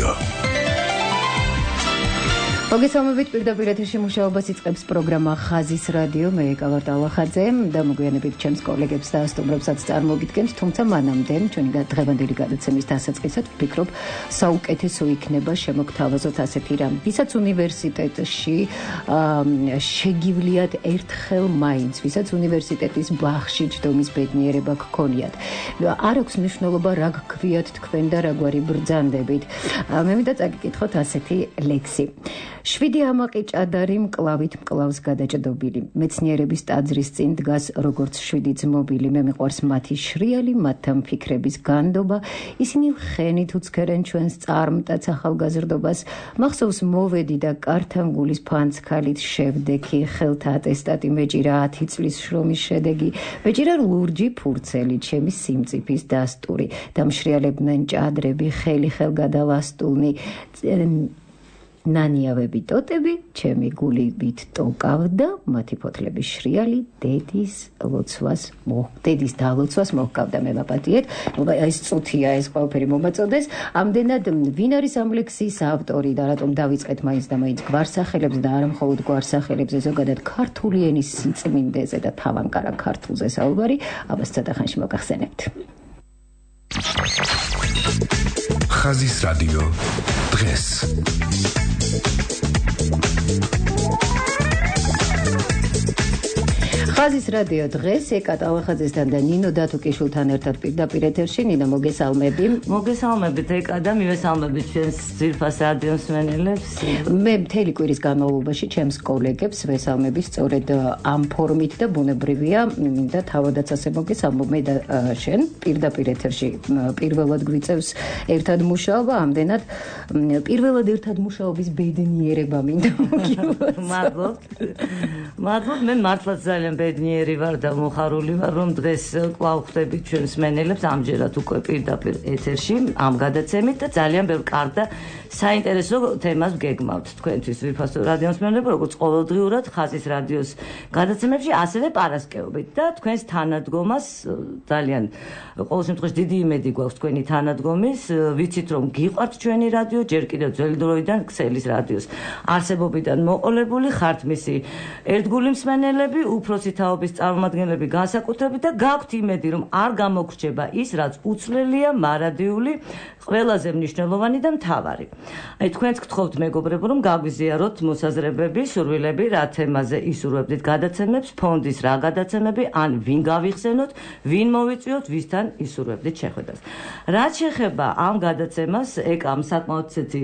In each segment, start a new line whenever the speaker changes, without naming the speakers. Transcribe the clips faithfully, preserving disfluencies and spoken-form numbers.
რადიო.
მოგესალმებით, პირდაპირ ეთერში მუშაობას იწყებს პროგრამა ხაზის რადიო. მე ეკავარ ტალახაძე და მოგვიანებით ჩემს კოლეგებს და სტუმრებსაც წარმოგიდგენთ, თუმცა მანამდე ჩვენი დღევანდელი გადაცემის დასაწყისად ვფიქრობ, საუკეთესო იქნება შემოგთავაზოთ ასეთი რამ, ვისაც უნივერსიტეტში შეგივლიათ ერთხელ მაინც, ვისაც უნივერსიტეტის ბაღში ჯდომის ბედნიერება გქონიათ. არ აქვს მნიშვნელობა რა გქვიათ თქვენ და რაგვარი ბრძანდებით. მე მინდა წაგიკითხოთ ასეთი ლექსი. შვიდი ამაყი ჭადარი მკლავით მკლავს გადაჭდობილი. მეცნიერების ტაძრის წინ დგას როგორც შვიდი ძმობილი. მე მიყვარს მათი შრიალი, მათთან ფიქრების განდობა. ისინი ხენით უცქერენ ჩვენს წარმტაც ახალგაზრდობას. მახსოვს მოვედი და კართან გულის ფანცქალით შევდექი. ხელთა ატესტატი მეჭირა ათი წლის შრომის შედეგი. მეჭირა ლურჯი ფურცელი, ჩემი სიმწიფის დასტური. დამშრიალებდნენ ჭადრები, ხელი ხელგადალასტულნი. ნანიავები ტოტები, ჩემი გულივით ტოკავდა, მათი ფოთლების შრიალი დედის ლოცვას მო დედის დალოცვას მოჰყავდა. მე ვაპატიეთ, ეს წუთია ეს ყველაფერი მომაწოდეს. ამდენად ვინ არის ამ ლექსის ავტორი და რატომ დავიწყეთ მაინც და მაინც გვარსახელებს და არა მხოლოდ გვარსახელებზე, ზოგადად ქართული ენის სიწმინდეზე და თავანკარა ქართულზე საუბარი, ამას ცოტა ხანში მოგახსენებთ.
ხაზის რადიო დღეს.
ხაზის რადიო დღეს ეკა ტალახაძესთან და ნინო დათუკიშვილთან ერთად პირდაპირ ეთერში. ნინო, მოგესალმები.
მოგესალმებით ეკა და მივესალმებით ჩვენს ძვირფას რადიო მსმენელებს.
მე მთელი კვირის განმავლობაში ჩემს კოლეგებს ვესალმები სწორედ ამ ფორმით და ბუნებრივია და თავადაც ასე მოგესალმო. მე და შენ პირდაპირ ეთერში პირველად გვიწევს ერთად მუშაობა, ამდენად პირველად ერთად მუშაობის ბედნიერება მინდა მოგიყვარს.
მადლობ. მადლობ, მე მართლაც ძალიან ბედნიერი ვარ და მოხარული ვარ, რომ დღეს კვლავ ხვდებით ჩვენს მსმენელებს ამჯერად უკვე პირდაპირ ეთერში ამ გადაცემით და ძალიან ბევრ კარგ და საინტერესო თემას გეგმავთ თქვენთვის ვიფასო რადიო მსმენელები, როგორც ყოველდღიურად ხაზის რადიოს გადაცემებში, ასევე პარასკევობით და თქვენს თანადგომას ძალიან ყოველ შემთხვევაში დიდი იმედი გვაქვს თქვენი თანადგომის. ვიცით რომ გიყვართ ჩვენი რადიო, ჯერ კიდევ ძველი დროიდან ქსელის რადიოს არსებობიდან მოყოლებული ხართ მისი ერთგული მსმენელები, უფროსი თაობის წარმომადგენლები განსაკუთრებით და გაქვთ იმედი რომ არ გამოგრჩება ის, რაც უცვლელია, მარადიული, ყველაზე მნიშვნელოვანი და მთავარი. აი თქვენც გთხოვთ მეგობრებო, რომ გაგვიზიაროთ მოსაზრებები, სურვილები, რა თემაზე ისურვებდით გადაცემებს, ფონდის რა გადაცემები, ან ვინ გავიხსენოთ, ვინ მოვიწვიოთ, ვისთან ისურვებდით შეხვედრას. რაც შეეხება ამ გადაცემას, ეკამ საკმაოდ ცეთი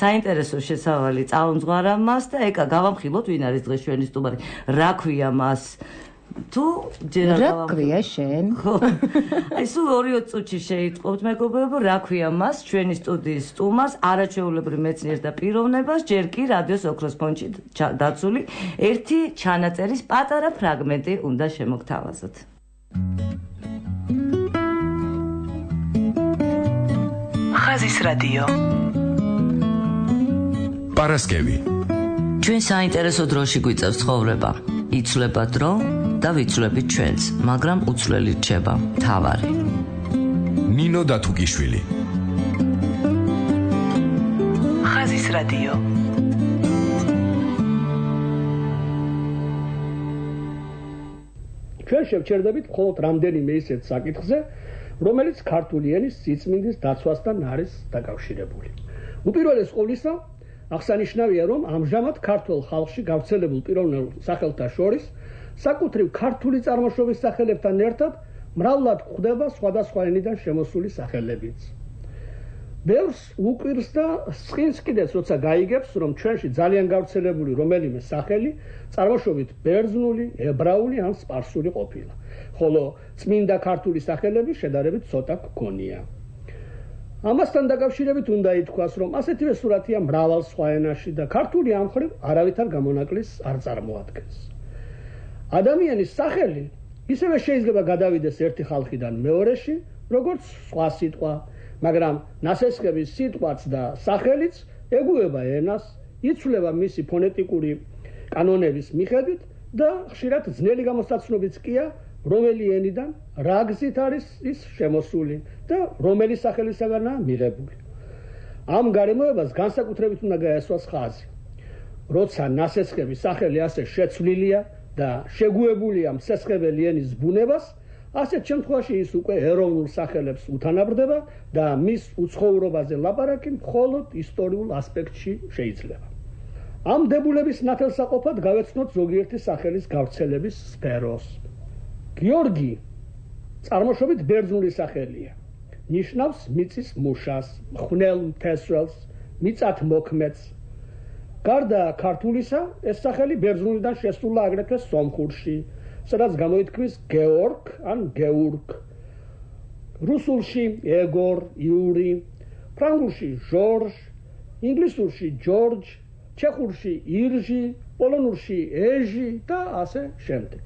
საინტერესო შესავალი წამომძღვარა მას და ეკა გავამხილოთ, ვინ არის დღეს ჩვენი სტუმარი, რა ქვია მას. თუ ჯერ
რა ქვია შენ?
აი სულ ორი წუთში შეიტყობთ მეგობრებო, რა ქვია მას, ჩვენი სტუდიის სტუმარს, არაჩვეულებრივ მეცნიერს და პიროვნებას, ჯერ კი რადიოს ოქროს ფონდში დაცული ერთი ჩანაწერის პატარა ფრაგმენტი უნდა შემოგთავაზოთ.
ხაზის რადიო. პარასკევი.
ჩვენ საინტერესო დროში გვიწევს ცხოვრება. იცვლება დრო და ვიცვლებით ჩვენც, მაგრამ უცვლელი რჩება მთავარი.
ნინო დათუკიშვილი. ხაზის რადიო.
ჩვენ შევჩერდებით მხოლოდ რამდენიმე ისეთ საკითხზე, რომელიც ქართული ენის სიწმინდის დაცვასთან არის დაკავშირებული. უპირველეს ყოვლისა, აღსანიშნავია, რომ ამჟამად ქართულ ხალხში გავრცელებულ პიროვნულ სახელთა შორის საკუთრივ ქართული წარმოშობის სახელებთან ერთად მრავლად გვხვდება სხვადასხვა ენიდან შემოსული სახელებიც. ბევრს უკვირს და სხინს კიდეც, როცა გაიგებს, რომ ჩვენში ძალიან გავრცელებული რომელიმე სახელი წარმოშობით ბერძნული, ებრაული ან სპარსული ყოფილა, ხოლო წმინდა ქართული სახელები შედარებით ცოტა გქონია. ამასთან დაკავშირებით უნდა ითქვას, რომ ასეთივე სურათია მრავალ სხვა ენაში და ქართული ამ მხრივ არავითარ გამონაკლისს არ წარმოადგენს. ადამიანის სახელი ისევე შეიძლება გადავიდეს ერთი ხალხიდან მეორეში, როგორც სხვა სიტყვა, მაგრამ ნასესხების სიტყვაც და სახელიც ეგუება ენას, იცვლება მისი ფონეტიკური კანონების მიხედვით და ხშირად ძნელი გამოსაცნობიც კია, რომელი ენიდან რა გზით არის ის შემოსული და რომელი სახელისაგანაა მიღებული. ამ გარემოებას განსაკუთრებით უნდა გაესვას ხაზი. როცა ნასესხების სახელი ასე შეცვლილია და შეგუებულია მსესხებელი ენის ბუნებას, ასეთ შემთხვევაში ის უკვე ეროვნულ სახელებს უთანაბრდება და მის უცხოვრობაზე ლაპარაკი მხოლოდ ისტორიულ ასპექტში შეიძლება. ამ დებულების ნათელსაყოფად გავეცნოთ ზოგიერთი სახელის გავრცელების სფეროს. გიორგი წარმოშობით ბერძნული სახელია. ნიშნავს მიწის მუშას, მხნელ მთესრელს, მიწათ მოქმედს. გარდა ქართულისა, ეს სახელი ბერძნულიდან შესულა აგრეთვე სომხურში, სადაც გამოითქმის გეორგ ან გეურგ. რუსულში ეგორ, იური, ფრანგულში ჟორჟ, ინგლისურში ჯორჯ, ჩეხურში ირჟი, პოლონურში ეჟი და ასე შემდეგ.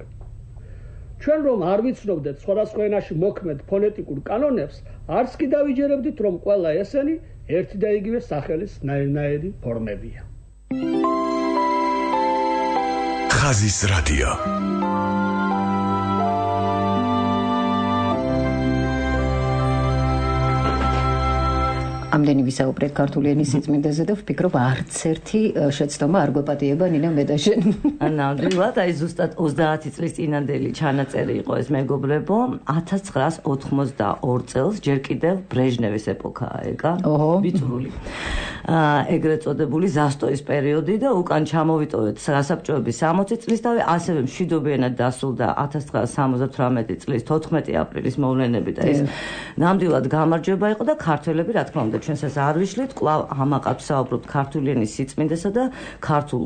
ჩვენ რომ არ ვიცნობდეთ სხვადასხვა ენაში მოქმედ ფონეტიკურ კანონებს, არც კი დავიჯერებდით, რომ ყველა ესენი ერთი და იგივე სახელის ნაირნაირი ფორმებია.
ხაზის რადიო.
ამდენი ვისაუბრეთ ქართული ენის სიწმინდეზე და ვფიქრობ არც ერთი შეცდომა არ გვეპატიება ნინა მე და შენ.
ნამდვილად, აი ზუსტად ოცდაათი წლის წინანდელი ჩანაწერი იყო ეს მეგობრებო, ათას ცხრაას ოთხმოცდაორ წელს, ჯერ კიდევ ბრეჟნევის ეპოქაა ეკა, ვიწრული. ეგრეთ წოდებული ზასტოის პერიოდი და უკან ჩამოვიტოვეთ სასაბჭოების სამოცი წლისთავი, ასევე მშვიდობიანად დასრულდა ათას ცხრაას სამოცდათვრამეტი წლის თოთხმეტი აპრილის მოვლენები და ეს ნამდვილად გამარჯვება იყო და ქართველები რა თქმა უნდა ჩვენს ეს არ ვიშლით, კვლავ ამაყად ვსაუბრობთ ქართული ენის სიწმინდესა და ქართულ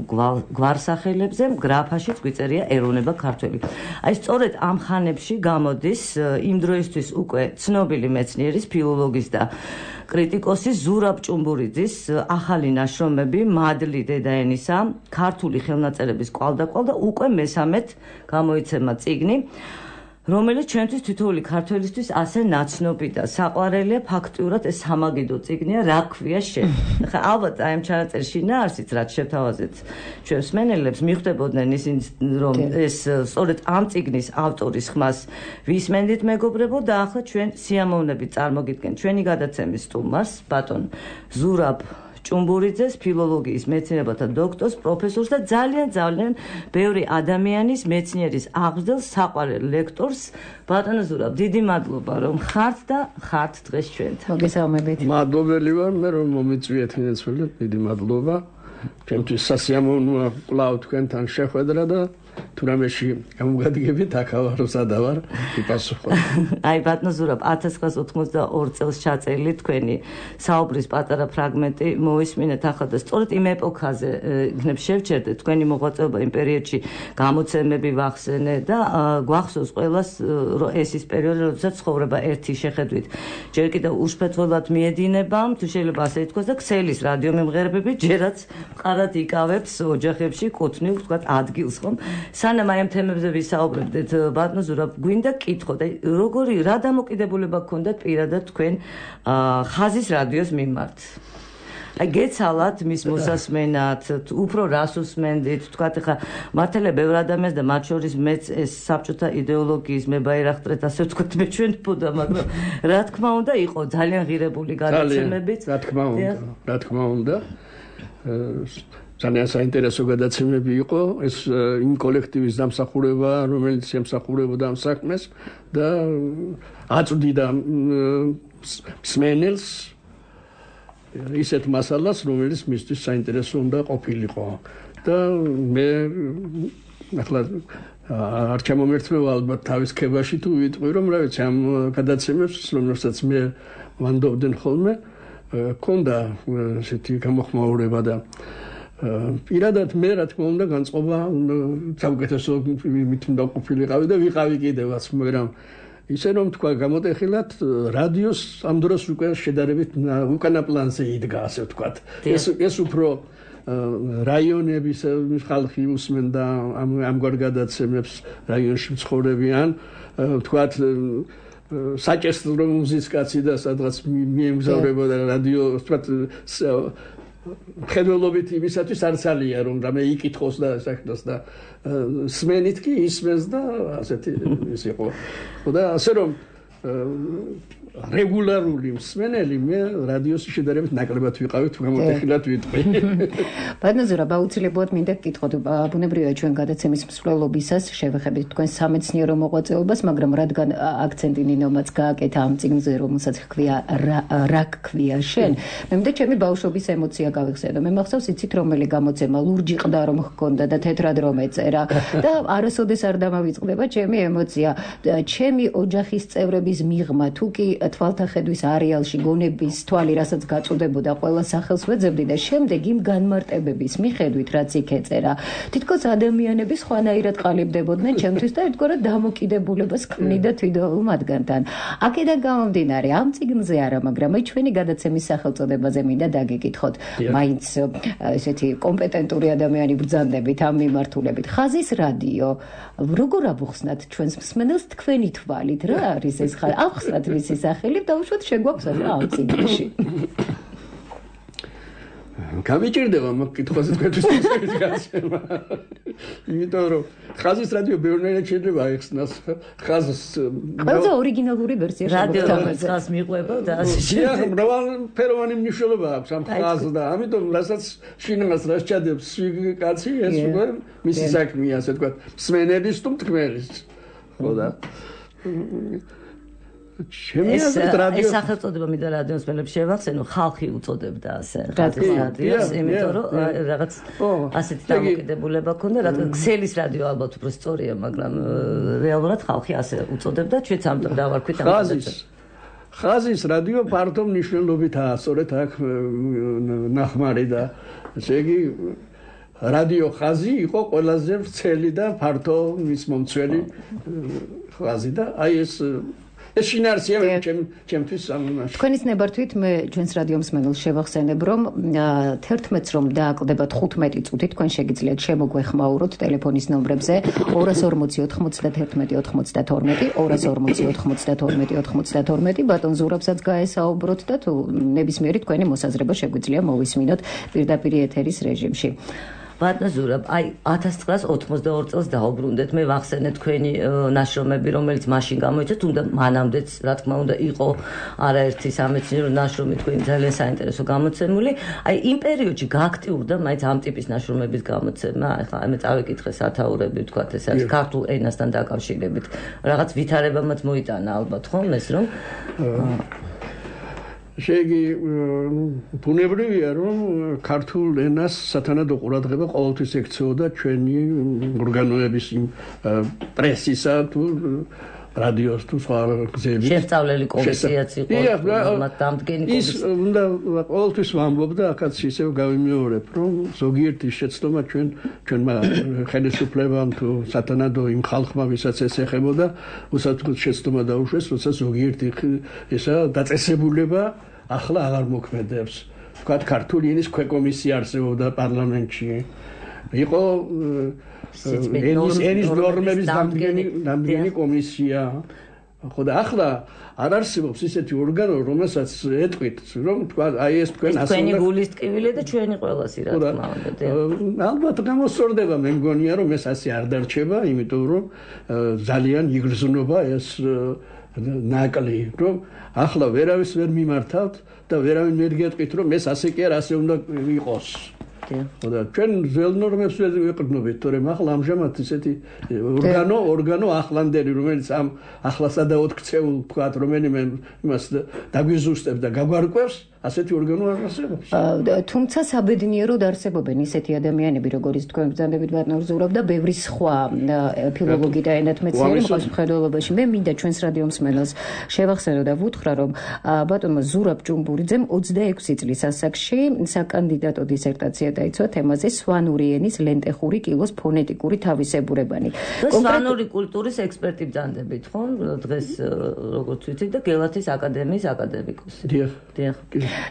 გვარსახელებზე, გრაფაშიც გვიწერია ეროვნება ქართველი. აი სწორედ ამ ხანებში გამოდის იმ დროისთვის უკვე ცნობილი მეცნიერის, ფილოლოგის და კრიტიკოსის ზურაბ ჭუმბურიძის ახალი ნაშრომები მადლი დედაენისა, ქართული ხელნაწერების კვალდაკვალ და უკვე მესამედ გამოიცემა წიგნი, რომელიც ჩვენთვის თითოეული ქართველისთვის ასე ნაცნობი და საყვარელია ფაქტიურად ეს სამაგიდო წიგნია, რა ქვია შენ. ხა ალბათ აი ამ ჩანაწერში ნაარსიც რაც შევთავაზეთ ჩვენს მენელებს მიხვდებოდნენ ისინი რომ ეს სწორედ ამ წიგნის ავტორის ხმას ვისმენდით მეგობრებო და ახლა ჩვენ სიამოვნებით წარმოგიდგენთ ჩვენი გადაცემის სტუმარს ბატონ ზურაბ ჭუმბურიძეს, ფილოლოგიის მეცნიერებათა დოქტორს, პროფესორს და ძალიან ძალიან ბევრი ადამიანის მეცნიერის აღზრდელს, საყვარელ ლექტორს. ბატონო ზურაბ, დიდი მადლობა რომ ხართ და ხართ დღეს ჩვენთან.
მოგესალმებით.
მადლობელი ვარ მე რომ მომიწვიეთ ინეცვლით, დიდი მადლობა. ჩემთვის სასიამოვნოა კვლავ თქვენთან შეხვედრა და თურამეში გამოგადგებით აქავარო სადავარ იპასუხო.
აი ბატონო ზურაბ, ათას ცხრაას ოთხმოცდაორ წელს ჩაწერილი თქვენი საუბრის პატარა ფრაგმენტი მოვისმინეთ ახლა და სწორედ იმ ეპოქაზე იქნებ შევჩერდეთ თქვენი მოღვაწეობა იმ პერიოდში გამოცემები ვახსენე და გვახსოვს ყველას ეს ის პერიოდი, როდესაც ცხოვრება ერთი შეხედვით ჯერ კიდევ უშფეთრულად მიედინება, თუ შეიძლება ასე ითქვას და ქსელის რადიომემღერებები ჯერაც მყარად იკავებს ოჯახებში კუთვნილ თქვათ ადგილს ხომ. სანამ აი ამ თემებზე ვისაუბრებდეთ, ბატონო ზურაბ, გვინდა კითხოთ, აი როგორი რა დამოკიდებულება გქონდათ პირადად თქვენ ხაზის რადიოს მიმართ? აი გეცალათ მის მოსასმენად, უფრო რას უსმენდით, თქვათ ხა მართალია ბევრ ადამიანს და მათ შორის მეც ეს საბჭოთა იდეოლოგიის მებაირახტრეთ, ასე ვთქვათ, მეჩვენებოდა, მაგრამ რა თქმა უნდა იყო ძალიან ღირებული გადაცემებიც.
რა თქმა უნდა, რა თქმა უნდა. ძალიან საინტერესო გადაცემები იყო ეს იმ კოლექტივის დამსახურება, რომელიც ემსახურებოდა ამ საქმეს და აწვდიდა მსმენელს ისეთ მასალას, რომელიც მისთვის საინტერესო უნდა ყოფილიყო და მე ახლა არ ჩამომერთმევა ალბათ თავის ქებაში თუ ვიტყვი რომ რა ვიცი ამ გადაცემებს რომელსაც მე ვანდობდნენ ხოლმე ქონდა ესეთი გამოხმაურება და პირადად მე რა თქმა უნდა განწყობა საუკეთესო მით უნდა ყოფილიყავი და ვიყავი კიდევაც მაგრამ ისე რომ თქვა გამოტეხილად რადიოს ამ დროს უკვე შედარებით უკანა პლანზე იდგა ასე ვთქვათ ეს ეს უფრო რაიონების ხალხი უსმენდა ამ ამგვარ გადაცემებს რაიონში ცხოვრებიან ვთქვათ საჭესრო მუსიკაცი და სადღაც მიემგზავრებოდა რადიო ვთქვათ ხელოვნებით იმისათვის არცალია რომ რამე იკითხოს და საქმეს და სმენით კი ისმენს და ასეთი ის იყო და ასე რომ რეგულარული მსმენელი მე რადიოს შედარებით ნაკლებად ვიყავი თუ გამოტეხილად ვიტყვი.
ბატონო, აუცილებლად მინდა გკითხოთ, ბუნებრივია ჩვენ გადაცემის მსვლელობისას შევეხებით თქვენ სამეცნიერო მოღვაწეობას, მაგრამ რადგან აქცენტი ნინომაც გააკეთა ამ წიგნზე, რომელსაც ჰქვია რა გქვია შენ, მე მინდა ჩემი ბავშვობის ემოცია გავიხსენო. მე მახსოვს იცით რომელი გამოცემა ლურჯი ყდა რომ ჰქონდა და თეთრად რომ ეწერა და არასოდეს არ დამავიწყდება ჩემი ემოცია. ჩემი ოჯახის წევრების მიღმა თუ კი თვალთახედვის არეალში გონების თვალი რასაც გაწუდებოდა ყველა სახელს ვეძებდი და შემდეგ იმ განმარტებების მიხედვით რაც იქ ეწერა თითქოს ადამიანები სხვანაირად ყალიბდებოდნენ ჩემთვის და ერთგვარად დამოკიდებულებას ქმნიდა თვითონ მათგანთან. აქედან გამომდინარე ამ წიგნზე არა, მაგრამ აი ჩვენი გადაცემის სახელწოდებაზე მინდა დაგეკითხოთ. მაინც ესეთი კომპეტენტური ადამიანი ბრძანდებით ამ მიმართულებით. ხაზის რადიო როგორ აბუხსნათ ჩვენს მსმენელს თქვენი თვალით რა არის ეს ხაზი? ახსნათ მისი სახელი და უშუალოდ შეგვაქვს ამ წიგნში.
გამიჭირდება მაგ კითხვაზე თქვენთვის მოსწრების გაცემა. იმიტომ რომ ხაზის რადიო ბევრნაირად შეიძლება აიხსნას. ხაზს
ყველაზე ორიგინალური ვერსია
რადიოს ხაზს მიყვება და ასე
შემდეგ. მრავალფეროვანი მნიშვნელობა აქვს ამ ხაზს და ამიტომ რასაც შინებას რას ჩადებს კაცი ეს უკვე მისი საქმეა, ასე ვთქვათ, მსმენელის თუ მტკნელის. ხო და
ეს ეს სახელწოდება მინდა რადიოს მელებს შევახსენო, ხალხი უწოდებდა ასე რადიოს, იმიტომ რომ რაღაც ასეთი დამოკიდებულება ქონდა, რადგან ქსელის რადიო ალბათ უფრო სწორია, მაგრამ რეალურად ხალხი ასე უწოდებდა, ჩვენც ამ დავარქვით ამ
ხაზის ხაზის რადიო ფართო მნიშვნელობითაა, სწორედ აქ ნახმარი და ესე იგი რადიო ხაზი იყო ყველაზე ვრცელი და ფართო მის მომცველი ხაზი და აი ეს ეს შინაარსია ჩემთვის ამაში.
თქვენის ნებართვით მე ჩვენს რადიო მსმენელს შევახსენებ, რომ თერთმეტს რომ დააკლდებათ ხუთმეტი წუთი, თქვენ შეგიძლიათ შემოგვეხმაუროთ ტელეფონის ნომრებზე ორას ორმოცი ოთხმოცდათერთმეტი ოთხმოცდათორმეტი, ორას ორმოცი ოთხმოცდათორმეტი ოთხმოცდათორმეტი, ბატონ ზურაბსაც გაესაუბროთ და თუ ნებისმიერი თქვენი მოსაზრება შეგვიძლია მოვისმინოთ პირდაპირ ეთერის რეჟიმში.
ბატონ ზურაბ, აი ათას ცხრაას ოცდაორი წელს დაუბრუნდეთ. მე ვახსენე თქვენი ნაშრომები, რომელიც მაშინ გამოიცა, თუნდა მანამდეც, რა თქმა უნდა, იყო არაერთი სამეცნიერო ნაშრომი თქვენი ძალიან საინტერესო გამოცემული. აი იმ პერიოდში გააქტიურდა მაინც ამ ტიპის ნაშრომების გამოცემა. ეხლა მე წავეკითხე სათაურები, ვთქვათ, ეს არის ქართულ ენასთან დაკავშირებით. რაღაც ვითარებამაც მოიტანა ალბათ, ხომ ეს რომ
შეგი ბუნებრივია რომ ქართულ ენას სათანადო ყურადღება ყოველთვის ექცეოდა ჩვენი ორგანოების პრესისა თუ რადიოს თუ სხვა გზების
შესწავლელი კომისიაც იყო მათ დამდგენი
კომისია. ის უნდა ყოველთვის ვამბობდა, აქაც ისევ გავიმეორებ, რომ ზოგიერთი შეცდომა ჩვენ ჩვენმა ხელისუფლებამ თუ სათანადო იმ ხალხმა, ვისაც ეს ეხებოდა, უსათქოდ შეცდომა დაუშვეს, როცა ზოგიერთი ესა დაწესებულება ახლა აღარ მოქმედებს. ვთქვათ, ქართული ენის ქვეკომისია არსებობდა პარლამენტში. იყო ენის ენის ნორმების დამდგენი კომისია. ხო და ახლა არ არსებობს ისეთი ორგანო, რომელსაც ეტყვით, რომ თქვა, აი ეს თქვენ
ასე თქვენი გულის ტკივილი და ჩვენი ყველასი რა თქმა უნდა.
ალბათ გამოსწორდება, მე მგონია რომ ეს ასე არ დარჩება, იმიტომ რომ ძალიან იგრძნობა ეს ნაკლი, რომ ახლა ვერავის ვერ მიმართავთ და ვერავინ ვერ გეტყვით, რომ ეს ასე კი არ ასე უნდა იყოს. ხო და ჩვენ ძველ ნორმებს ვეყრდნობით, თორემ ახლა ამჟამად ისეთი ორგანო, ორგანო ახლანდელი, რომელიც ამ ახლასადაოდ ქცეულ ვთქვათ, რომელიმე იმას დაგვიზუსტებს და გაგვარკვევს, ასეთი ორგანო არ არსებობს.
თუმცა საბედნიეროდ არსებობენ ისეთი ადამიანები, როგორიც თქვენ ბრძანდებით ბატონ ზურაბ და ბევრი სხვა ფილოლოგი და ენათმეცნიერი მოსახლეობაში. მე მინდა ჩვენს რადიო მსმენელს შევახსენო და ვუთხრა, რომ ბატონმა ზურაბ ჭუმბურიძემ ოცდაექვსი წლის ასაკში საკანდიდატო დისერტაცია დაიცვა თემაზე სვანური ენის ლენტეხური კილოს ფონეტიკური თავისებურებანი.
სვანური კულტურის ექსპერტი ბრძანდებით, ხო? დღეს როგორც ვიცით და გელათის აკადემიის აკადემიკოსი.
დიახ.
დიახ.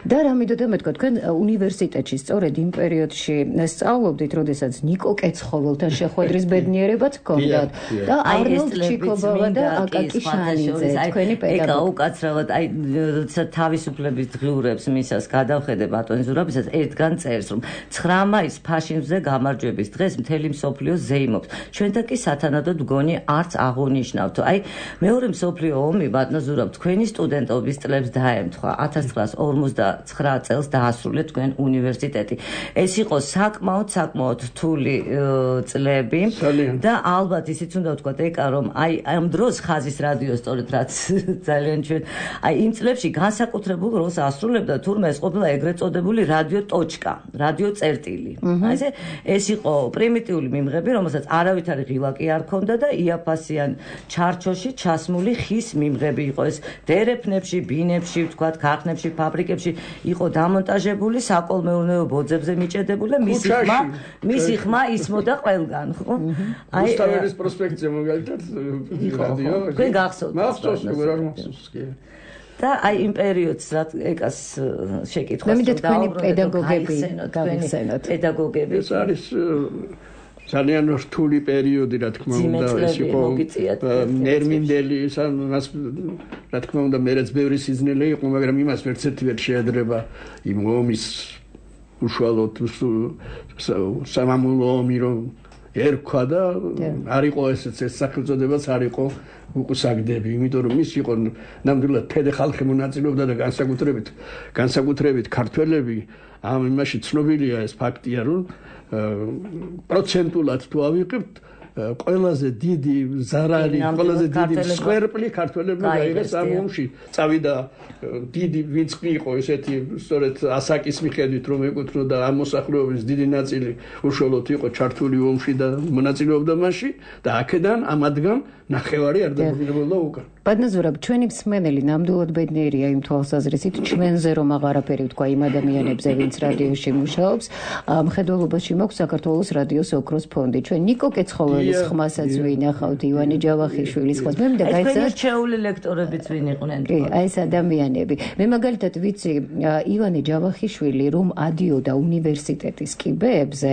და რა მინდოდა მეთქვა, თქვენ უნივერსიტეტში სწორედ იმ პერიოდში სწავლობდით, როდესაც ნიკო კეცხოველთან შეხვედრის ბედნიერებაც ჰქონდათ და არნოლდ ჩიკობავა და აკაკი შანიძე, თქვენი პედაგოგი.
ეკა უკაცრავად, აი თავისუფლების დღიურებს მისას გადავხედე ბატონი ზურაბისაც ერთგან წერს, რომ ცხრა მაისს ფაშიზმზე გამარჯვების დღეს მთელი მსოფლიო ზეიმობს. ჩვენთან კი სათანადოდ მგონი არც აღუნიშნავთ. აი მეორე მსოფლიო ომი ბატონო ზურაბ თქვენი სტუდენტობის წლებს დაემთხვა. ათას ცხრაას ორმოცდაცხრა წელს დაასრულეთ თქვენ უნივერსიტეტი. ეს იყო საკმაოდ საკმაოდ რთული წლები და ალბათ ისიც უნდა ვთქვათ ეკა რომ აი ამ დროს ხაზის რადიო სწორედ რაც ძალიან ჩვენ აი იმ წლებში განსაკუთრებულ როლს ასრულებდა თურმე ეს ყოფილა ეგრეთ წოდებული რადიო ტოჩკა, რადიო წერტილი. აი ესე ეს იყო პრიმიტიული მიმღები, რომელსაც არავითარი ღილაკი არ ჰქონდა და იაფასიან ჩარჩოში ჩასმული ხის მიმღები იყო ეს დერეფნებში, ბინებში, ვთქვათ, ქარხნებში, ფაბრიკებში იყო დამონტაჟებული, საკოლმეურნეო ბოძებზე მიჭედებული და მისი ხმა, მისი ხმა ისმოდა ყველგან, ხო?
აი რუსთაველის პროსპექტზე მაგალითად რადიო.
თქვენ გახსოვთ?
მახსოვს, როგორ არ მახსოვს კი.
და აი იმ პერიოდს რაც ეკას შეკითხვა.
მე მინდა თქვენი პედაგოგები გავიხსენოთ.
პედაგოგები.
ეს არის ძალიან რთული პერიოდი, რა თქმა უნდა, ეს იყო ნერმინდელი, მას რა თქმა უნდა, მეც ბევრი სიზნელე იყო, მაგრამ იმას ვერც ერთი ვერ შეედრება იმ ომის უშუალოდ სამამულო ომი, რომ ერქვა და არ იყო ესეც ეს სახელწოდებაც არ იყო უკუსაგდები, იმიტომ რომ ის იყო ნამდვილად თეთრი ხალხი მონაწილეობდა და განსაკუთრებით განსაკუთრებით ქართველები ამ იმაში ცნობილია ეს ფაქტია, რომ პროცენტულად თუ ავიღებთ ყველაზე დიდი ზარალი, ყველაზე დიდი სკვერპლი ქართველებმა გაიღეს ამ ომში. წავიდა დიდი ვინც იყო ესეთი სწორედ ასაკის მიხედვით რომ ეკუთვნოდა ამ მოსახლეობის დიდი ნაწილი უშუალოდ იყო ჩართული ომში და მონაწილეობდა მასში და აქედან ამადგან ნახევარი არ დაბრუნებულა უკან.
ბატონო ზურაბ, ჩვენი მსმენელი ნამდვილად ბედნიერია იმ თვალსაზრისით, ჩვენზე რომ აღარაფერი ვთქვა იმ ადამიანებზე, ვინც რადიოში მუშაობს. მხედველობაში მაქვს საქართველოს რადიოს ოქროს ფონდი. ჩვენ ნიკო კეცხოველის ხმასაც ვინახავთ, ივანე ჯავახიშვილის ხმას. მე მინდა გაიცნოთ
რჩეული ლექტორებიც ვინ იყვნენ.
კი, აი ეს ადამიანები. მე მაგალითად ვიცი, ივანე ჯავახიშვილი რომ ადიოდა უნივერსიტეტის კიბეებზე,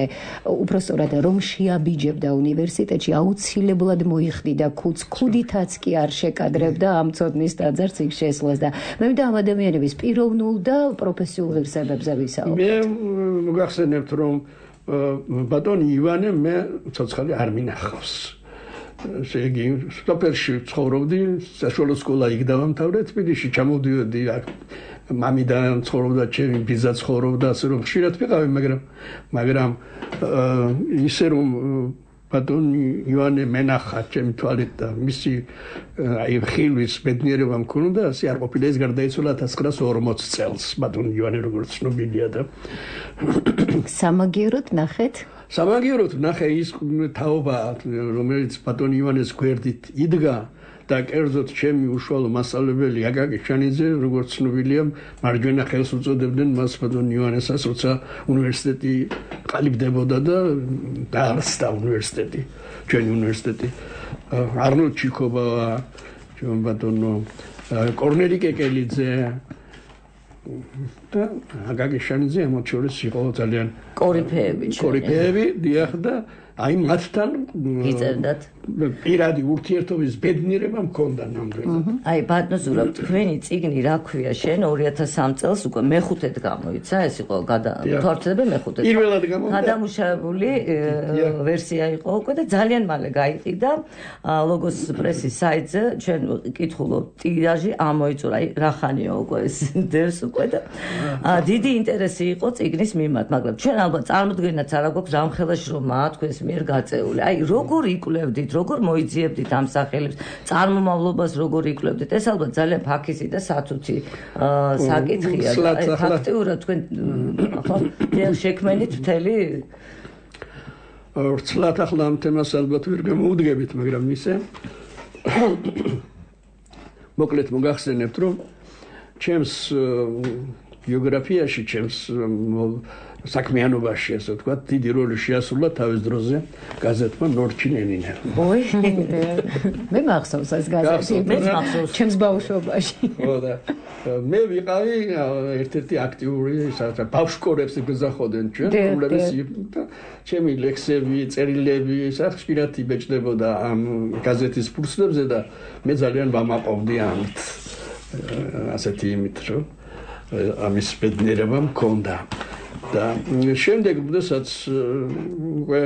უბრალოდ რომ შეაბიჯებდა უნივერსიტეტში, აუცილებლად მოიხდიდა ქუდს, ქუდითაც კი არ შეკადრებდა ამ ცოდნის ტაძარს იქ შესვლას და მე მინდა ამ ადამიანების პიროვნულ და პროფესიულ ღირსებებზე ვისაუბროთ.
მე მოგახსენებთ რომ ბატონი ივანე მე ცოცხალი არ მინახავს. შეგი სოფელში ცხოვრობდი, საშუალო სკოლა იქ დავამთავრე, თბილისში ჩამოვდიოდი აქ მამიდან ცხოვრობდა, ჩემი ბიძა ცხოვრობდა, ასე რომ ხშირად ვიყავი, მაგრამ მაგრამ ისე რომ ბატონი ივანე მენახა ჩემი თვალით და მისი აი ხილვის ბედნიერება მქონდა, ასე არ ყოფილა, ეს გარდაიცვალა ათას ცხრაას ორმოც წელს ბატონი ივანე როგორც ცნობილია და
სამაგიეროდ ნახეთ
სამაგიეროდ ნახე ის თაობა რომელიც ბატონი ივანეს გვერდით იდგა და კერძოდ ჩემი უშუალო მასწავლებელი აკაკი შანიძე როგორც ცნობილია მარჯვენა ხელს უწოდებდნენ მას ბატონი ივანესას როცა უნივერსიტეტი ყალიბდებოდა და დაარსდა უნივერსიტეტი ჩვენი უნივერსიტეტი არნოლდ ჩიკობავა ჩვენ ბატონო კორნელი კეკელიძე და აკაკი შანიძე ამ შორის იყო ძალიან
კორიფეები
კორიფეები დიახ და აი მათთან
იწერდათ
პირადი ურთიერთობის ბედნიერება მქონდა ნამდვილად.
აი ბატონო ზურაბ, თქვენი წიგნი რა ქვია შენ ორი ათას სამ წელს უკვე მეხუთედ გამოიცა, ეს იყო თორცდები მეხუთედ.
პირველად გამოვიდა.
გადამუშავებული ვერსია იყო უკვე და ძალიან მალე გაიყიდა ლოგოს პრესის საიტზე, ჩვენ კითხულობ ტირაჟი ამოიწურა, აი რა ხანია უკვე ეს დევს უკვე და დიდი ინტერესი იყო წიგნის მიმართ, მაგრამ ჩვენ ალბათ წარმოდგენაც არ აქვს რამხელა შრომაა თქვენს მიერ გაწეული. აი როგორ იკვლევდით, როგორ მოიძიებდით ამ სახელებს, წარმომავლობას როგორ იკვლევდით? ეს ალბათ ძალიან ფაქიზი და სათუთი საკითხია. აი ფაქტიურად თქვენ ხო შექმენით მთელი
ვრცლად ახლა ამ თემას ალბათ ვერ გამოუდგებით, მაგრამ ისე მოკლედ მოგახსენებთ, რომ ჩემს ბიოგრაფიაში, ჩემს საქმიანობაში, ასე ვთქვათ, დიდი როლი შეასრულა თავის დროზე გაზეთმა ნორჩი ლენინი.
ოი, მე მახსოვს ეს გაზეთი, მე მახსოვს ჩემს ბავშვობაში.
ხო და მე ვიყავი ერთ-ერთი აქტიური, სადაც ბავშვკორებს გზახოდენ ჩვენ, რომლებიც ჩემი ლექსები, წერილები, ხშირად იბეჭდებოდა ამ გაზეთის ფურცლებზე და მე ძალიან ვამაყობდი ამით. ასეთი იმით, რომ ამის ბედნიერება მქონდა. და შემდეგ როდესაც უკვე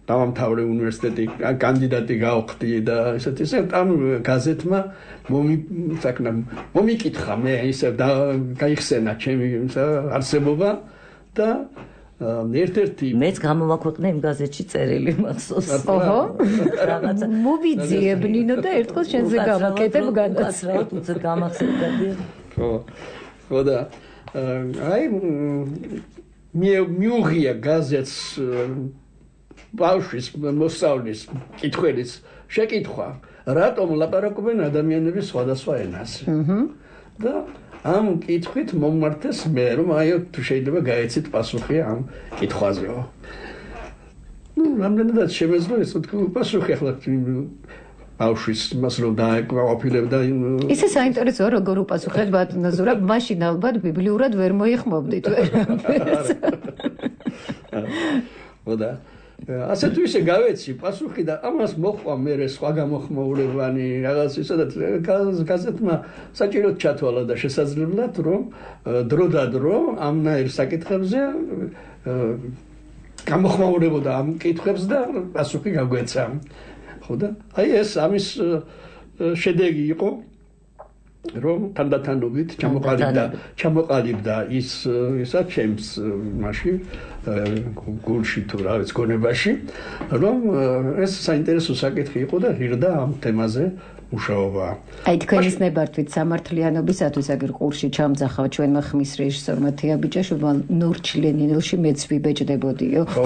დავამთავრე უნივერსიტეტი, კანდიდატი გავხდი და ესეთი ისე ამ გაზეთმა მომისაკნა მომიკითხა მე ისე და გაიხსენა ჩემი არსებობა და ერთ-ერთი
მეც გამოვაქვეყნე იმ გაზეთში წერილი მახსოვს.
ოჰო. რაღაცა მოვიძიებ ნინო და ერთხელ შენზე გავაკეთებ
განაცრავად უცებ გამახსენებდი.
ხო. ხო და აი მიუღია გაზეთს ბავშვის მოსწავლის კითხველის შეკითხვა რატომ ლაპარაკობენ ადამიანები სხვადასხვა ენაზე და ამ კითხვით მომმართეს მე რომ აი თუ შეიძლება გაეცით პასუხი ამ კითხვაზეო ნუ რამდენადაც შემეძლო ეს თქვი პასუხი ახლა ბავშვის მას რომ დააკვირვებდა
ისე საინტერესოა როგორ უპასუხეთ ბატონო ზურაბ მაშინ ალბათ ბიბლიურად ვერ მოიხმობდით ვერაფერს
ხოდა ასე თუ ისე გავეცი პასუხი და ამას მოხვა მე სხვა გამოხმაურებანი რაღაც ისედაც გაზეთმა საჭიროდ ჩათვალა და შესაძლებლად რომ დრო და დრო ამნაირ საკითხებზე გამოხმაურებოდა ამ კითხვებს და პასუხი გაგვეცა ხოდა აი ეს ამის შედეგი იყო რომ თანდათანობით ჩამოყალიბდა ჩამოყალიბდა ის ისა ჩემს მაშინ გულში თუ რა ვიცი გონებაში რომ ეს საინტერესო საკითხი იყო და ღირდა ამ თემაზე მუშაობა.
აი თქვენის ნებართვით სამართლიანობისათვის აგერ ყურში ჩამძახავ ჩვენმა ხმის რეჟისორმა თეაბიჭაშვილმა ნორჩი ლენინელში მეც ვიბეჭდებოდიო.
ხო.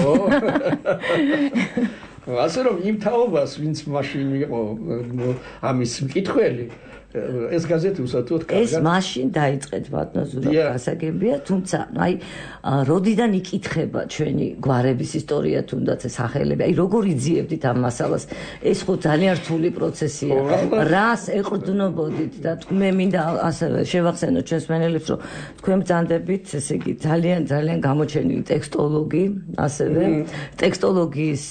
ასე რომ იმ თაობას ვინც მაშინ იყო ამის მკითხველი ეს გაზეთი უსათუოდ კარგად
ეს მაშინ დაიწყეთ ბატონო ზურაბ გასაგებია თუმცა აი როდიდან იკითხება ჩვენი გვარების ისტორია თუნდაც სახელები აი როგორ იძიებდით ამ მასალას ეს ხო ძალიან რთული პროცესია რას ეყრდნობოდით და მე მინდა ასევე შევახსენო ჩვენს მენელებს რომ თქვენ ბრძანდებით ესე იგი ძალიან ძალიან გამოჩენილი ტექსტოლოგი ასევე ტექსტოლოგიის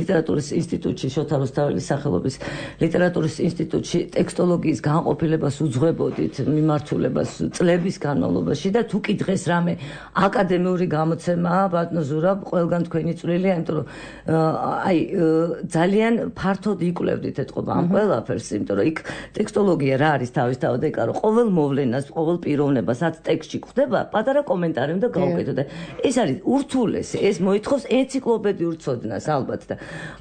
ლიტერატურის ინსტიტუტში შოთა რუსთაველის სახელობის ლიტერატურის ინსტიტუტში ტექსტოლოგიის განყოფილებას უძღვებოდით მიმართულებას წლების განმავლობაში და თუ კი დღეს რამე აკადემიური გამოცემაა ბატონო ზურაბ ყველგან თქვენი წვლილია იმიტომ რომ აი ძალიან ფართოდ იკვლევდით ეთყობა ამ ყველაფერს იმიტომ რომ იქ ტექსტოლოგია რა არის თავისთავად ეკა რომ ყოველ მოვლენას ყოველ პიროვნებას რაც ტექსტში გვხდება პატარა კომენტარი უნდა გავუკეთოთ და ეს არის ურთულესი ეს მოითხოვს ენციკლოპედიურ ცოდნას ალბათ და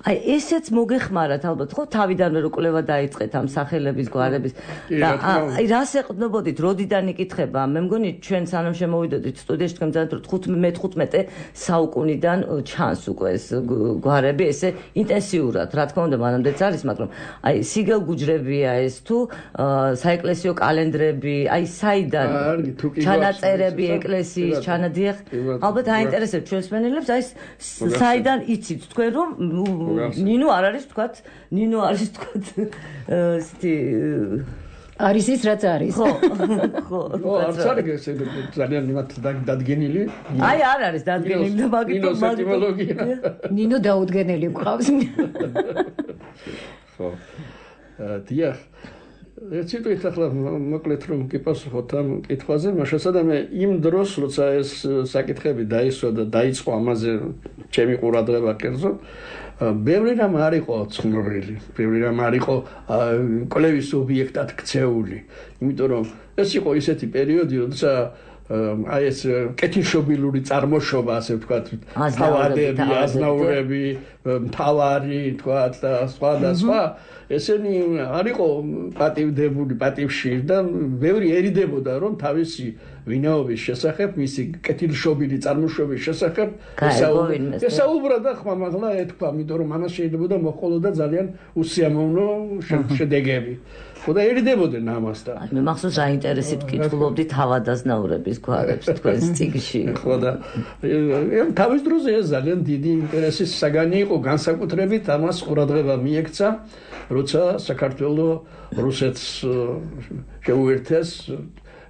აი ესეც მოგეხმარათ ალბათ ხო თავიდანვე რო კვლევა დაიწყეთ ამ სახელების გვარების და აი რას ეყრდნობოდით როდიდან იკითხება მე მგონი ჩვენ სანამ შემოვიდოდით სტუდიაში თქვენ ძალიან მეთყუთმეტე საუკუნიდან ჩანს უკვე ეს გვარები ესე ინტენსიურად რა თქმა უნდა მანამდეც არის მაგრამ აი სიგელ გუჯრებია ეს თუ საეკლესიო კალენდრები აი საიდან ჩანაწერები ეკლესიის ჩანადიახ ალბათ აინტერესებს ჩვენს მენელებს აი საიდან იცით თქვენ რომ ნინო არ არის თქვათ ნინო არის თქვათ ისეთი
არის ის რაც არის
ხო ხო
ხო არც არის ეს ძალიან იმათ დადგენილი
აი არ არის დადგენილი და მაგიტო
მაგიტოლოგია
ნინო დაუდგენელი გყავს
ხო დიახ ეს ის ახლა მოკლედ რომ გიპასუხოთ ამ კითხვაზე მაშასადამე იმ დროს როცა ეს საკითხები დაისვა და დაიწყო ამაზე ჩემი ყურადღება კერძო ბევრი რამ არ იყო ცნობილი, ბევრი რამ არ იყო კვლევის ობიექტად ქცეული. იმიტომ რომ ეს იყო ისეთი პერიოდი, როცა აი ეს კეთილშობილური წარმოშობა, ასე ვთქვათ, თავადები, აზნაურები, მთავარი, ვთქვათ და სხვა და სხვა, ესენი არ იყო პატივდებული, პატივში და ბევრი ერიდებოდა, რომ თავისი ვინაობის შესახებ, მისი კეთილშობილი წარმოშობის შესახებ
ესაუბრა.
ესაუბრა და ხმამაღლა ეთქვა, იმიტომ რომ ამას შეიძლება მოყოლოდა ძალიან უსიამოვნო შედეგები. ხოდა ერიდებოდნენ ამასთან.
აი მე მახსოვს აინტერესით კითხულობდი თავადაზნაურების გვარებს თქვენს წიგნში.
ხოდა თავის დროზე ეს ძალიან დიდი ინტერესის საგანი იყო, განსაკუთრებით ამას ყურადღება მიექცა, როცა საქართველოს რუსეთს შეუერთეს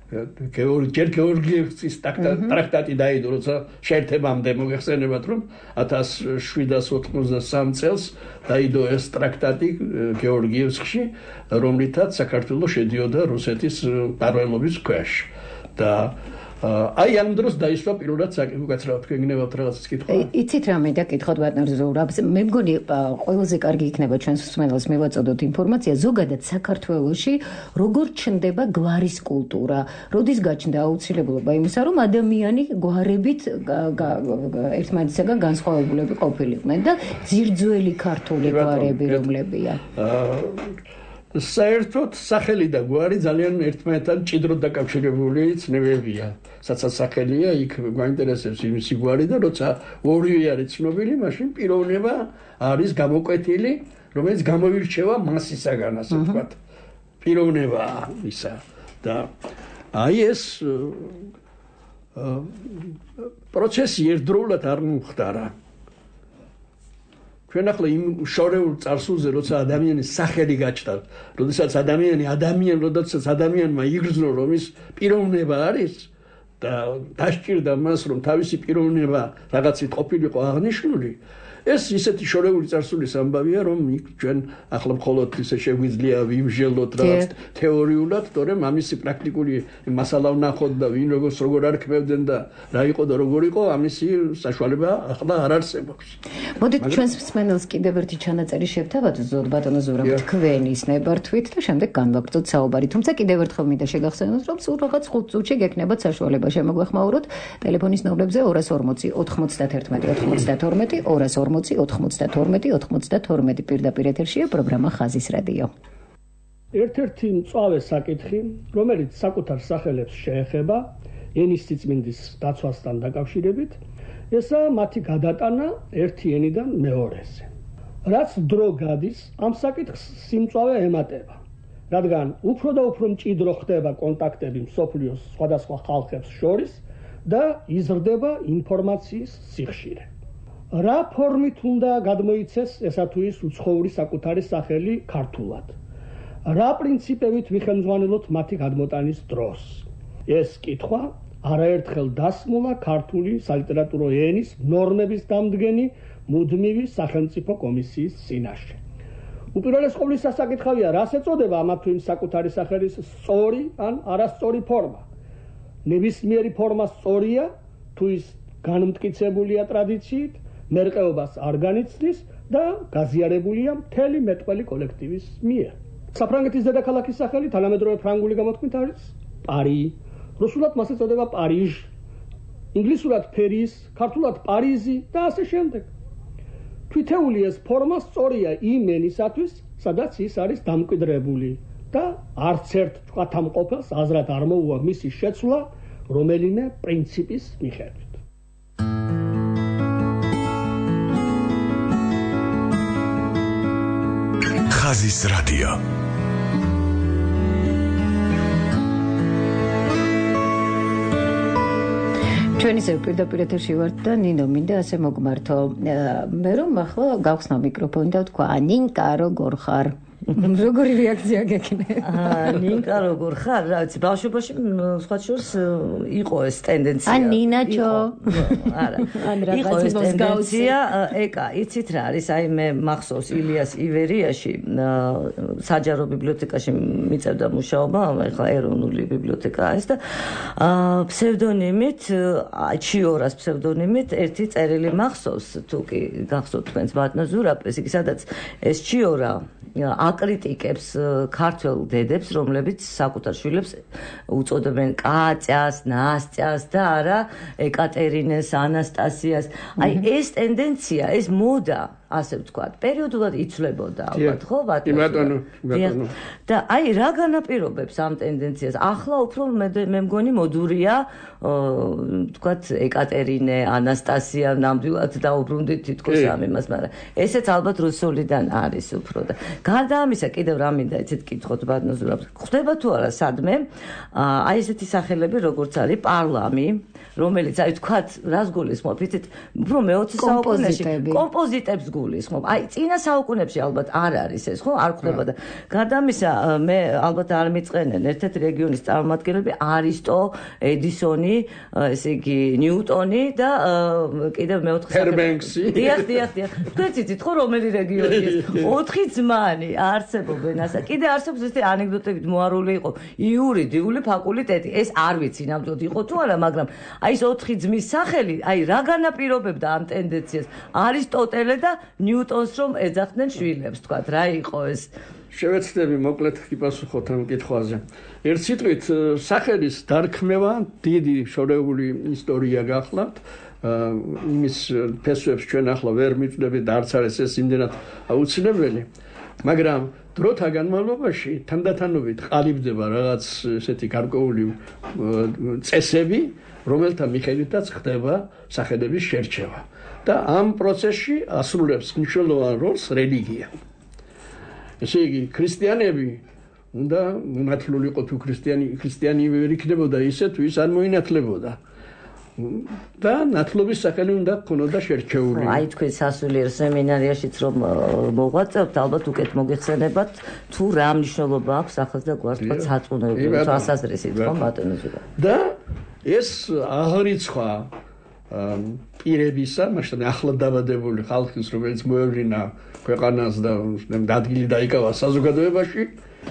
გეორგი გეორგიევსკის ტრაქტატი დაიდო, როცა შეერთებამდე მოგეხსენებათ, რომ ათას შვიდას ოთხმოცდასამ წელს დაიდო ეს ტრაქტატი გეორგიევსკში, რომლითაც საქართველოს შედიოდა რუსეთის მფარველობის ქვეშ და აი ამ დროს დაისვა პირველად საკითხად თქვენ გნებავთ რაღაცას კითხვა.
იცით რა მე და კითხოთ ბატონ ზურაბს, მე მგონი ყველაზე კარგი იქნება ჩვენს მსმენელს მივაწოდოთ ინფორმაცია ზოგადად საქართველოში როგორ ჩნდება გვარის კულტურა, როდის გაჩნდა აუცილებლობა იმისა, რომ ადამიანი გვარებით ერთმანეთისაგან განსხვავებულები ყოფილიყვნენ და ძირძველი ქართული გვარები რომლებია.
საერთოდ სახელი და გვარი ძალიან ერთმანეთთან მჭიდროდ დაკავშირებული ცნებებია. საცა სახელია, იქ გვაინტერესებს იმისი გვარი და როცა ორივე არის ცნობილი, მაშინ პიროვნება არის გამოკვეთილი, რომელიც გამოირჩევა მასისაგან, ასე ვთქვათ. პიროვნება ისა და აი ეს პროცესი ერთდროულად არ მომხდარა. ჩვენ ახლა იმ შორეულ წარსულზე, როცა ადამიანის სახელი გაჩნდა, როდესაც ადამიანი ადამიან, როდესაც ადამიანმა იგრძნო, რომ ის პიროვნება არის და დასჭირდა მას, რომ თავისი პიროვნება რაღაცით ყოფილიყო აღნიშნული, ეს ისეთი შორეული წარსულის ამბავია, რომ ჩვენ ახლა მხოლოდ ისე შეგვიძლია ვიმჟელოთ რაღაც თეორიულად, თორემ ამისი პრაქტიკული მასალა ვნახოთ და ვინ როგორც როგორ არქმევდნენ და რა იყო და როგორ იყო, ამისი საშუალება ახლა არ არსებობს.
მოდით ჩვენს მსმენელს კიდევ ერთი ჩანაწერი შევთავაზოთ, ზოდ ბატონო ზურაბ, თქვენის ნებართვით და შემდეგ განვაგრძოთ საუბარი. თუმცა კიდევ ერთხელ მინდა შეგახსენოთ, რომ სულ რაღაც ხუთ წუთში გექნებათ საშუალება შემოგვეხმაუროთ ტელეფონის ნომრებზე ორას ორმოცი ოთხმოცდათერთმეტი ოცდათორმეტი ორას ორმოცი ოთხმოცდათორმეტი ოცდათორმეტი პირდაპირ ეთერშია პროგრამა ხაზის რადიო.
ერთ-ერთი მწვავე საკითხი, რომელიც საკუთარ სახელებს შეეხება ენის სიწმინდის დაცვასთან დაკავშირებით, ესაა მათი გადატანა ერთი ენიდან მეორეზე. რაც დრო გადის, ამ საკითხს სიმწვავე ემატება, რადგან უფრო და უფრო მჭიდრო ხდება კონტაქტები მსოფლიოს სხვადასხვა ხალხებს შორის და იზრდება ინფორმაციის სიხშირე. რა ფორმით უნდა გადმოიცეს ესა თუ ის უცხოური საკუთარი სახელი ქართულად? რა პრინციპებით ვიხელმძღვანელოთ მათი გადმოტანის დროს? ეს კითხვა არაერთხელ დასმულა ქართული სალიტერატურო ენის ნორმების დამდგენი მუდმივი სახელმწიფო კომისიის წინაშე. უპირველეს ყოვლისა საკითხავია, რას ეწოდება ამა თუ იმ საკუთარი სახელის სწორი ან არასწორი ფორმა. ნებისმიერი ფორმა სწორია, თუ ის განმტკიცებულია ტრადიციით, მერყეობას არ განიცდის და გაზიარებულია მთელი მეტყველი კოლექტივის მიერ. საფრანგეთის დედაქალაქის სახელი თანამედროვე ფრანგული გამოთქმით არის პარი, რუსულად მას ეწოდება პარიჟ, ინგლისურად ფერის, ქართულად პარიზი და ასე შემდეგ. თვითეული ეს ფორმა სწორია იმ ენისათვის, სადაც ის არის დამკვიდრებული და არც ერთ ჭვათამყოფელს აზრად არ მოუვა მისი შეცვლა რომელიმე პრინციპის მიხედვით.
ხაზის რადიო.
ჩვენ ისევ პირდაპირ ეთერში ვართ და ნინო მინდა ასე მოგმართო. მე რომ ახლა გავხსნა მიკროფონი და ვთქვა, ნინკა როგორ ხარ? როგორი რეაქცია გექნება?
აა ნინკა როგორ ხარ? რა ვიცი, ბავშვობაში სხვა შორს იყო ეს ტენდენცია.
ან ნინაჩო.
არა. იყო ეს ტენდენცია, ეკა, იცით რა არის? აი მე მახსოვს ილიას ივერიაში საჯარო ბიბლიოთეკაში მიწევდა მუშაობა, ახლა ეროვნული ბიბლიოთეკაა ეს და ფსევდონიმით, ჩიორას ფსევდონიმით ერთი წერილი მახსოვს, თუ კი გახსოვთ თქვენს ბატონო ზურაბ, იგი სადაც ეს ჩიორა აკრიტიკებს ქართველ დედებს, რომლებიც საკუთარ შვილებს უწოდებენ კატЯს, ნასტიას და არა ეკატერინეს, ანასტასიას. აი ეს ტენდენცია, ეს მოდა ასე ვთქვათ, პერიოდულად იცვლებოდა ალბათ, ხო,
ბატონო, ბატონო.
და აი რა განაპირობებს ამ ტენდენციას? ახლა უფრო მე მგონი მოდურია, ვთქვათ, ეკატერინე, ანასტასია ნამდვილად დაუბრუნდით თითქოს ამ იმას, მაგრამ ესეც ალბათ რუსულიდან არის უფრო და გარდა ამისა კიდევ რა მინდა იცით კითხოთ ბატონო ზურაბს. ხდება თუ არა სადმე აი ესეთი სახელები როგორც არის პარლამი, რომელიც აი თქვათ რას გულისხმობ, იცით, უფრო მეოცე საუკუნეში კომპოზიტებს გულისხმობ. აი წინა საუკუნეებში ალბათ არ არის ეს, ხო, არ ხდება და გარდა ამისა მე ალბათ არ მიწყენენ ერთ-ერთი რეგიონის წარმომადგენლები არისტო, ედისონი, ესე იგი ნიუტონი და კიდევ მეოთხე
ჰერბენქსი.
დიახ, დიახ, დიახ. თქვენ იცით ხო რომელი რეგიონი ეს? ოთხი ძმანი არსებობენ ასა. კიდე არსებობს ესეთი ანეკდოტებით მოარული იყო იური, დიული, ფაკულტეტი. ეს არ ვიცი ნამდვილად იყო თუ არა, მაგრამ აი ეს ოთხი ძმის სახელი, აი რა განაპირობებდა ამ ტენდენციას? არისტოტელე და ნიუტონს რომ ეძახდნენ შვილებს, თქვათ, რა იყო ეს?
შევეცდები მოკლედ გიპასუხოთ ამ კითხვაზე. ერთ სიტყვით, სახელის დარქმევა დიდი შორეული ისტორია გახლავთ. იმის ფესვებს ჩვენ ახლა ვერ მივწდებით და არც არის ეს იმდენად აუცილებელი, მაგრამ დროთა განმავლობაში თანდათანობით ყალიბდება რაღაც ესეთი გარკვეული წესები, რომელთა მიხედვითაც ხდება სახელების შერჩევა და ამ პროცესში ასრულებს მნიშვნელოვან როლს რელიგია. ესე იგი, ქრისტიანები უნდა მონათლულიყო თუ ქრისტიანი ქრისტიანი ვერ იქნებოდა ისე თუ ის არ მოინათლებოდა. და ნათლობის სახელი უნდა ქონოდა შერჩეული.
აი თქვენ სასულიერო სემინარიაშიც რომ მოღვაწეობთ, ალბათ უკეთ მოგეხსენებათ თუ რა მნიშვნელობა აქვს ახალ და გვარცხად საწუნოებრივი თვალსაზრისით, ხო ბატონო ზურაბ.
და ეს აღრიცხვა პირებისა, მაშინ ახლად დაბადებული ხალხის, რომელიც მოევლინა ქვეყანას და ადგილი დაიკავა საზოგადოებაში,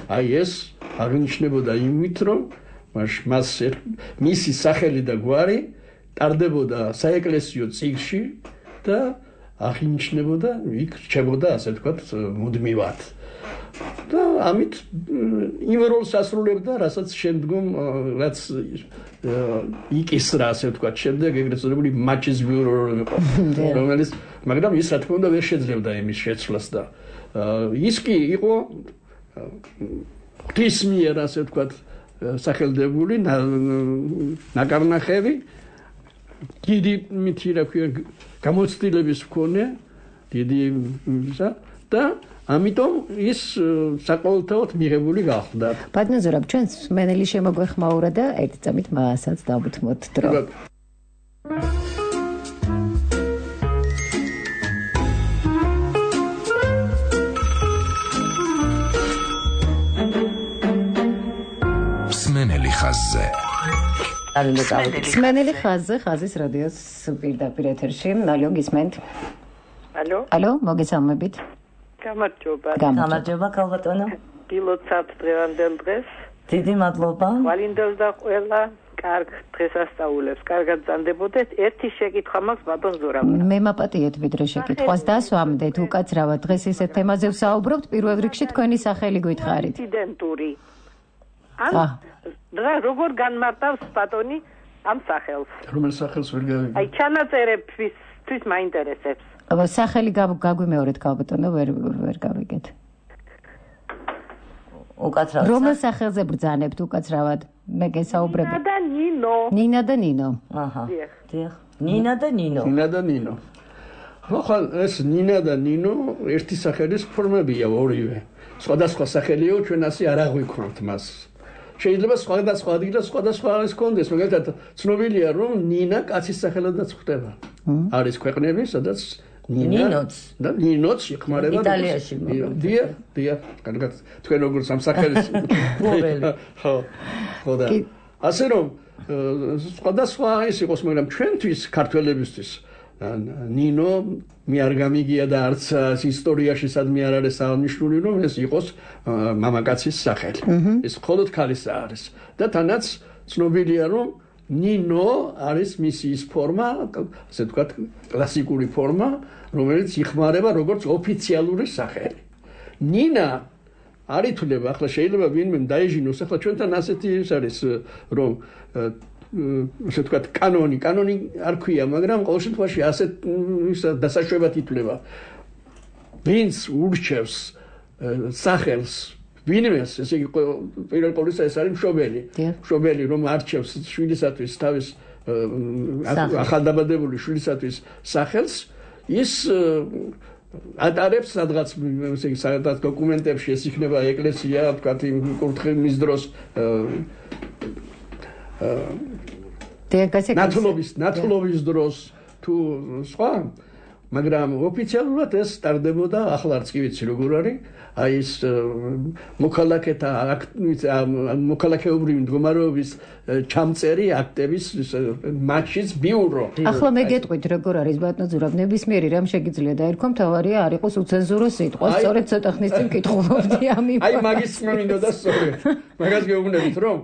აი ეს აღნიშნებოდა იმით, რომ მას მისი სახელი და გვარი ტარდებოდა საეკლესიო წიგნში და აღინიშნებოდა, იქ რჩებოდა, ასე ვთქვათ, მუდმივად. და ამით იმ როლს ასრულებდა, რასაც შემდგომ რაც იკისრა, ასე ვთქვათ, შემდეგ ეგრეთ წოდებული მაჩიზმური როლი იყო, რომელიც, მაგრამ ის რა თქმა უნდა ვერ შეძლებდა იმის შეცვლას და ის კი იყო ღვთის მიერ, ასე ვთქვათ, სახელდებული ნაკარნახევი, დიდი მითი რა ქვია გამოცდილების მქონე, დიდი და ამიტომ ის საყოველთაოდ მიღებული გახდა.
ბატონო ზურაბ, ჩვენს მენელი შემოგვეხმაურა და ერთი წამით მასაც დავუთმოთ დრო.
მსმენელი ხაზზე.
მსმენელი ხაზზე, ხაზის რადიოს პირდაპირ ეთერში. ალო, გისმენთ?
ალო?
ალო, მოგესალმებით.
გამარჯობა.
გამარჯობა, ქალბატონო.
გილოცავთ დღევანდელ დღეს.
დიდი მადლობა.
ვალინდელს და ყველა კარგ დღესასწაულებს. კარგად ზანდებოდეთ. ერთი შეკითხვა მაქვს ბატონ ზურაბს.
მე მაპატიეთ ვიდრე შეკითხვას დასვამდეთ უკაცრავად დღეს ესეთ თემაზე ვსაუბრობთ. პირველ რიგში თქვენი სახელი გითხარით.
პრეზიდენტური. ან რა როგორ განმარტავს ბატონი ამ სახელს?
რომელ სახელს ვერ გავიგე?
აი ჩანაწერებთვის თვის მაინტერესებს.
სახელი გაგვიმეორეთ ქალბატონო, ვერ ვერ გავიგეთ.
უკაცრავად.
რომელ სახელზე ბრძანებთ უკაცრავად? მე გესაუბრები.
ნინა და ნინო.
ნინა და ნინო.
აჰა. დიახ. ნინა და ნინო.
ნინა და ნინო. ხო, ეს ნინა და ნინო ერთი სახელის ფორმებია ორივე. სხვადასხვა სახელიო, ჩვენ ასე არ აღვიქვამთ მას. შეიძლება სხვადასხვა ადგილას სხვადასხვა ის კონდეს, მაგალითად ცნობილია რომ ნინა კაცის სახელადაც ხდება. არის ქვეყნები, სადაც
ნინოც
და ნინოც იხმარება
იტალიაში.
დია, დია, კარგად. თქვენ როგორ სამსახელს
მოველი.
ხო. ხო და ასე რომ სხვადასხვა ის იყოს, მაგრამ ჩვენთვის ქართველებისთვის ნინო მე არ გამიგია და არც ისტორიაში სადმე არ არის აღნიშნული რომ ეს იყოს მამაკაცის სახელი. ეს მხოლოდ ქალისა არის და თანაც ცნობილია რომ ნინო არის მისი ის ფორმა, ასე ვთქვათ, კლასიკური ფორმა, რომელიც იხმარება როგორც ოფიციალური სახელი. ნინა არ ითვლება, ახლა შეიძლება ვინმე დაეჟინოს, ახლა ჩვენთან ასეთი ის არის რომ ასე ვთქვათ, კანონი, კანონი არ ქვია, მაგრამ ყოველ შემთხვევაში ასეთ დასაშვებად ითვლება. ვინც ურჩევს სახელს ვინმეს, ესე იგი პირველ ყოვლისა ეს არის მშობელი. მშობელი რომ არჩევს შვილისათვის თავის ახალდაბადებული შვილისათვის სახელს, ის ატარებს სადღაც ესე იგი სადღაც დოკუმენტებში ეს იქნება ეკლესია, ვთქვათ, იმ კურთხევის დროს ნათლობის ნათლობის დროს თუ სხვა, მაგრამ ოფიციალურად ეს სტარდებოდა, ახლა არც კი ვიცი როგორ არის, აი ეს მოქალაქეთა მოქალაქეობრივი მდგომარეობის ჩამწერი აქტების მაშინ ბიურო.
ახლა მე გეტყვით როგორ არის ბატონო ზურაბ, ნებისმიერი რამ შეგიძლია დაერქვა, მთავარია არ იყოს უცენზურო სიტყვა. სწორედ ცოტა ხნის წინ კითხულობდი ამის.
აი მაგის მინდოდა სწორედ. მაგას გეუბნებით რომ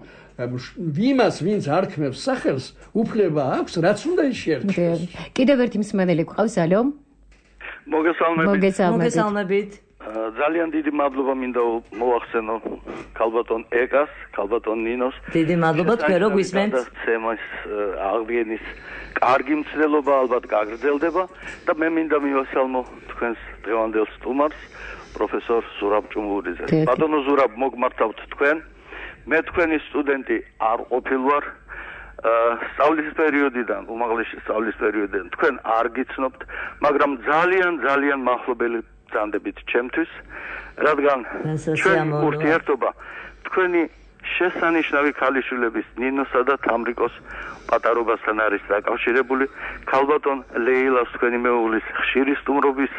ვიმას ვინც არქმევს სახელს უფლება აქვს რაც უნდა შეერჩოს.
კიდევ ერთი მსმენელი გვყავს, ალო?
მოგესალმებით.
მოგესალმებით.
ძალიან დიდი მადლობა მინდა მოვახსენო ქალბატონ ეკას, ქალბატონ ნინოს.
დიდი მადლობა თქვენ რო გვისმენთ.
თემის აღდგენის კარგი მცდელობა ალბათ გაგრძელდება და მე მინდა მივასალმო თქვენს დღევანდელ სტუმარს, პროფესორ ზურაბ ჭუმურიძეს. ბატონო ზურაბ, მოგმართავთ თქვენ. მე თქვენი სტუდენტი არ ყოფილვარ. სწავლის პერიოდიდან, უმაღლესი სწავლის პერიოდიდან თქვენ არ გიცნობთ, მაგრამ ძალიან ძალიან მახლობელი ბრძანდებით ჩემთვის, რადგან ჩვენი ურთიერთობა თქვენი შესანიშნავი ქალიშვილების ნინოსა და თამრიკოს პატარობასთან არის დაკავშირებული. ქალბატონ ლეილას თქვენი მეუღლის ხშირი სტუმრობის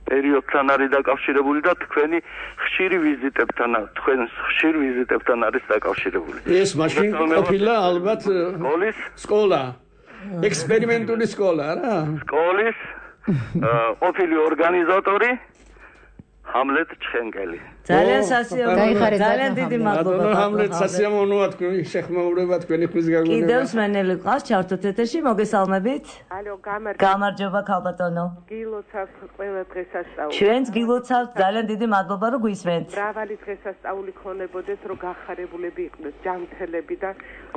პერიოდთან არის დაკავშირებული და თქვენი ხშირი ვიზიტებთან, თქვენს ხშირ ვიზიტებთან არის დაკავშირებული.
ეს მაშინ ყოფილა ალბათ სკოლა, ექსპერიმენტული სკოლა რა?
სკოლის ყოფილი ორგანიზატორი ჰამლეტ ჩხენკელი.
ძალიან სასიამოვნოა, ძალიან დიდი მადლობა.
ჰამლეტ სასიამოვნოა თქვენი შეხმაურება, თქვენი ხმის გაგონება.
კიდევ მსმენელი ყავს, ჩართოთ ეთერში, მოგესალმებით.
ალო, გამარჯობა.
გამარჯობა ქალბატონო.
გილოცავთ ყველა დღესასწაული.
ჩვენც გილოცავთ, ძალიან დიდი მადლობა რომ გვისმენთ.
მრავალი დღესასწაული ქონებოდეს, რომ გახარებულები იყვნენ ჯანმრთელები და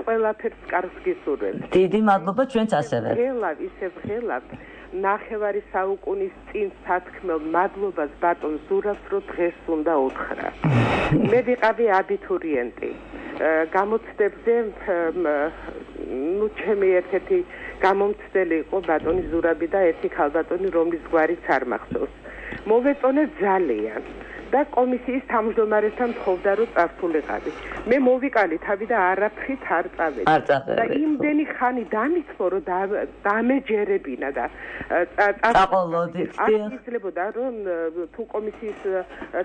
ყველაფერს კარგს გისურვებთ.
დიდი მადლობა ჩვენც ასევე.
ღელავ, ისე ღელავ. ნახევარი საუკუნის წინ სათქმელ მადლობას ბატონ ზურაბს რო დღეს უნდა უთხრა. მე ვიყავი აბიტურიენტი. გამოცდებზე ნუ ჩემი ერთ-ერთი გამომცდელი იყო ბატონი ზურაბი და ერთი ქალბატონი რომლის გვარიც არ მახსოვს. მოვეწონე ძალიან და კომისიის თავმჯდომარესთან თხოვდა რომ წარსულიყავი. მე მოვიკალი თავი და არაფრით არ წავედი.
არ წავედი.
და იმდენი ხანი დამიცმო რომ დამეჯერებინა და
წაყოლოდით.
არ იცლებოდა რომ თუ კომისიის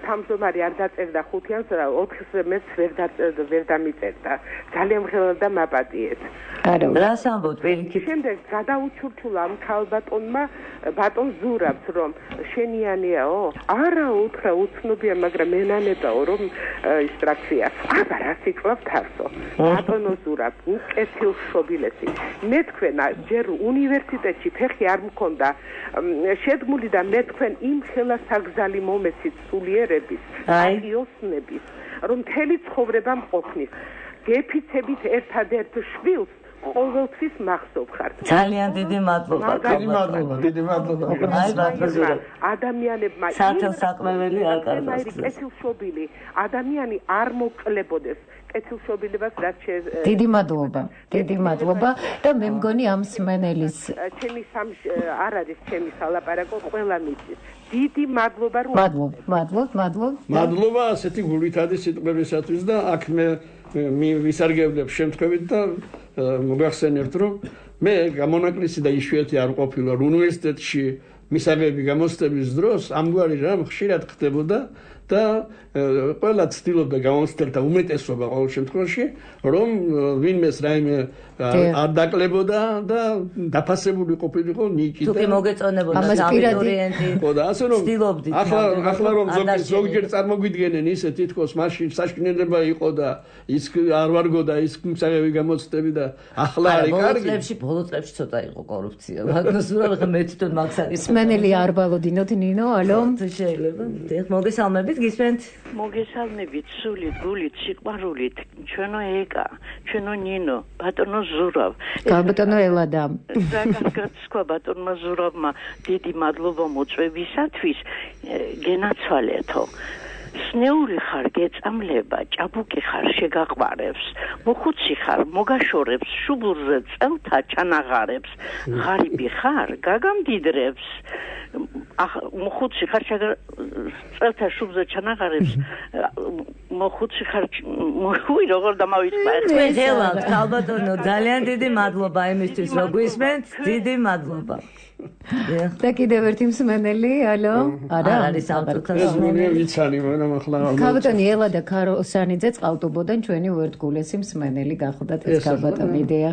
თავმჯდომარე არ დაწერდა ხუთიანს, ოთხს მეც ვერ ვერ დამიწერდა. ძალიან ღელავდა მაპატიეთ.
არა,
რას ამბობთ პირიქით?
შემდეგ გადაუჩურჩულა ამ ქალბატონმა ბატონ ზურაბს რომ შენიანიაო? არა, უთხრა უცნობია, მაგრამ მენანებაო რომ ის ტრაქცია. აბა რა სიკლავთ არსო. ბატონო ზურაბ, უკეთილშობილესი. მე თქვენ ჯერ უნივერსიტეტში ფეხი არ მქონდა შედგმული და მე თქვენ იმ ხელა საგზალი მომეცით სულიერების, აღიოსნების, რომ მთელი ცხოვრება მყოფნის. გეფიცებით ერთადერთ შვილს ყოველთვის მახსოვ ხართ.
ძალიან დიდი მადლობა.
დიდი მადლობა, დიდი მადლობა.
აი ბატონო,
ადამიანებმა
სახელსაყრელი არ კარგავს.
კეთილშობილი ადამიანი არ მოკლებოდეს. კეთილშობილებას რაც
დიდი მადლობა, დიდი მადლობა და მე მგონი ამ სმენელის
ჩემი სამ არ არის ჩემი სალაპარაკო ყველა მიწის. დიდი მადლობა რომ
მადლობა, მადლობა, მადლობა.
მადლობა ასეთი გულითადი სიტყვებისათვის და აქ მე ვისარგებლებ შემთხვევით და მოგახსენებთ რომ მე გამონაკლისი და იშვიათი არ ყოფილა უნივერსიტეტში მისაღები გამოცდების დროს ამგვარი რამ ხშირად ხდებოდა და ყველა ცდილობდა გამოცდილთა უმეტესობა ყოველ შემთხვევაში რომ ვინმეს რაიმე არ დაკლებოდა და დაფასებული ყოფილიყო ნიკი
და თუ კი მოგეწონებოდა აბიტურიენტი
ხო და ასე რომ
ცდილობდით
ახლა ახლა რომ ზოგჯერ წარმოგვიდგენენ ისე თითქოს მაშინ საშკნელება იყო და ის არ ვარგო და ის მისაღები გამოცდები და ახლა არის კარგი
ბოლო წლებში ბოლო წლებში ცოტა იყო კორუფცია მაგრამ სულ ახლა მე თვითონ მაგსაკის
სმენელი არ ბალოდინოთ ნინო ალო
შეიძლება მოგესალმებით მოგესალმებით, გისმენთ?
მოგესალმებით, სულით, გულით, სიყვარულით, ჩვენო ეკა, ჩვენო ნინო, ბატონო ზურავ.
ბატონო ელადა.
რაგაცკვა ბატონმა ზურავმა დიდი მადლობა მოწვევისათვის, გენაცვალეთო. სნეული ხარ გეწამლება, ჭაბუკი ხარ შეგაყვარებს, მოხუცი ხარ მოგაშორებს, შუბურზე წელთა ჩანაღარებს, ღარიბი ხარ გაგამდიდრებს, მოხუცი ხარ წელთა შუბზე ჩანაღარებს, მოხუცი ხარ მოხუი როგორ დამავიწყდა
ეს ელად, ალბათონო, ძალიან დიდი მადლობა იმისთვის, რომ გვისმენთ, დიდი მადლობა.
და კიდევ ერთი მსმენელი, ალო? არა,
არის ავტოქას
მსმენელი. ვიცანი, მაგრამ ახლა
ქალბატონი ელა და ქაროსანიძე წყალტუბოდან ჩვენი უერთგულესი მსმენელი გახდათ ეს ქალბატონი იდეა.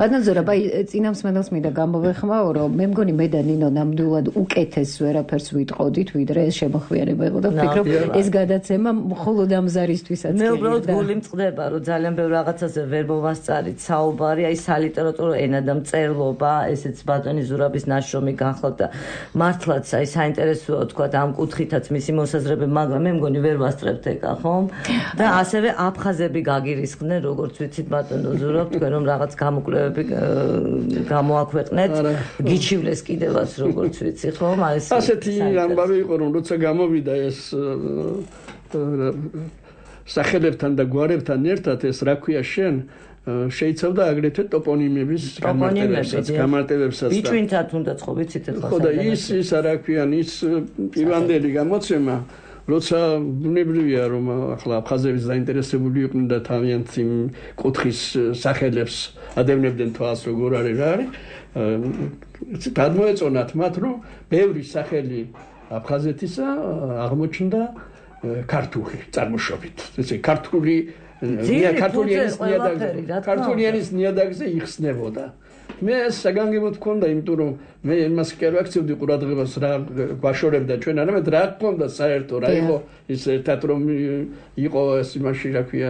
ბატონ ზურაბ, აი წინა მსმენელს მინდა გამოვეხმაო, რომ მე მგონი მე და ნინო ნამდვილად უკეთეს ვერაფერს ვიტყოდით, ვიდრე ეს შემოხვიანება იყო და ვფიქრობ ეს გადაცემა მხოლოდ ამ ზარისთვისაც
მე უბრალოდ გული მწყდება, რომ ძალიან ბევრ რაღაცაზე ვერ მოვასწარით საუბარი, აი სალიტერატურო ენა და მწერლობა, ესეც ბატონი ზურაბის ნაშრომი განხლოთ და მართლაც აი საინტერესოა თქვა ამ კუთხითაც მისი მოსაზრებები, მაგრამ მე მგონი ვერ ვასწრებთ ეკა, ხომ? და ასევე აფხაზები გაგირისხდნენ, როგორც ვიცით ბატონო ზურაბ, თქვენ რომ რაღაც გამოკვლევები გამოაქვეყნეთ, გიჩივლეს კიდევაც როგორც ვიცი, ხომ? აი ეს
ასეთი ამბავი იყო, რომ როცა გამოვიდა ეს სახელებთან და გვარებთან ერთად ეს რა ქვია შენ შეიცავდა აგრეთვე ტოპონიმების გამარტივებსაც, გამარტივებსაც.
ბიჭვინთად უნდაც ხო ვიცით ახლა.
ხო და ის ის რა ქვია, ის პირვანდელი გამოცემა, როცა ბუნებრივია რომ ახლა აფხაზების დაინტერესებული იყვნენ და თავიანთ იმ კუთხის სახელებს ადევნებდნენ თვალს როგორ არის რა არის. გადმოეწონათ მათ, რომ ბევრი სახელი აფხაზეთისა აღმოჩნდა ქართული წარმოშობით. ესე ქართული ქართულიანის ნიადაგზე იხსნებოდა. მე საგანგებოდ მქონდა, იმიტომ რომ მე იმას კი არ ვაქცევდი ყურადღებას რა გვაშორებდა ჩვენ, არამედ რა მქონდა საერთო, რა იყო ის ერთად რომ იყო ეს იმაში რა ქვია.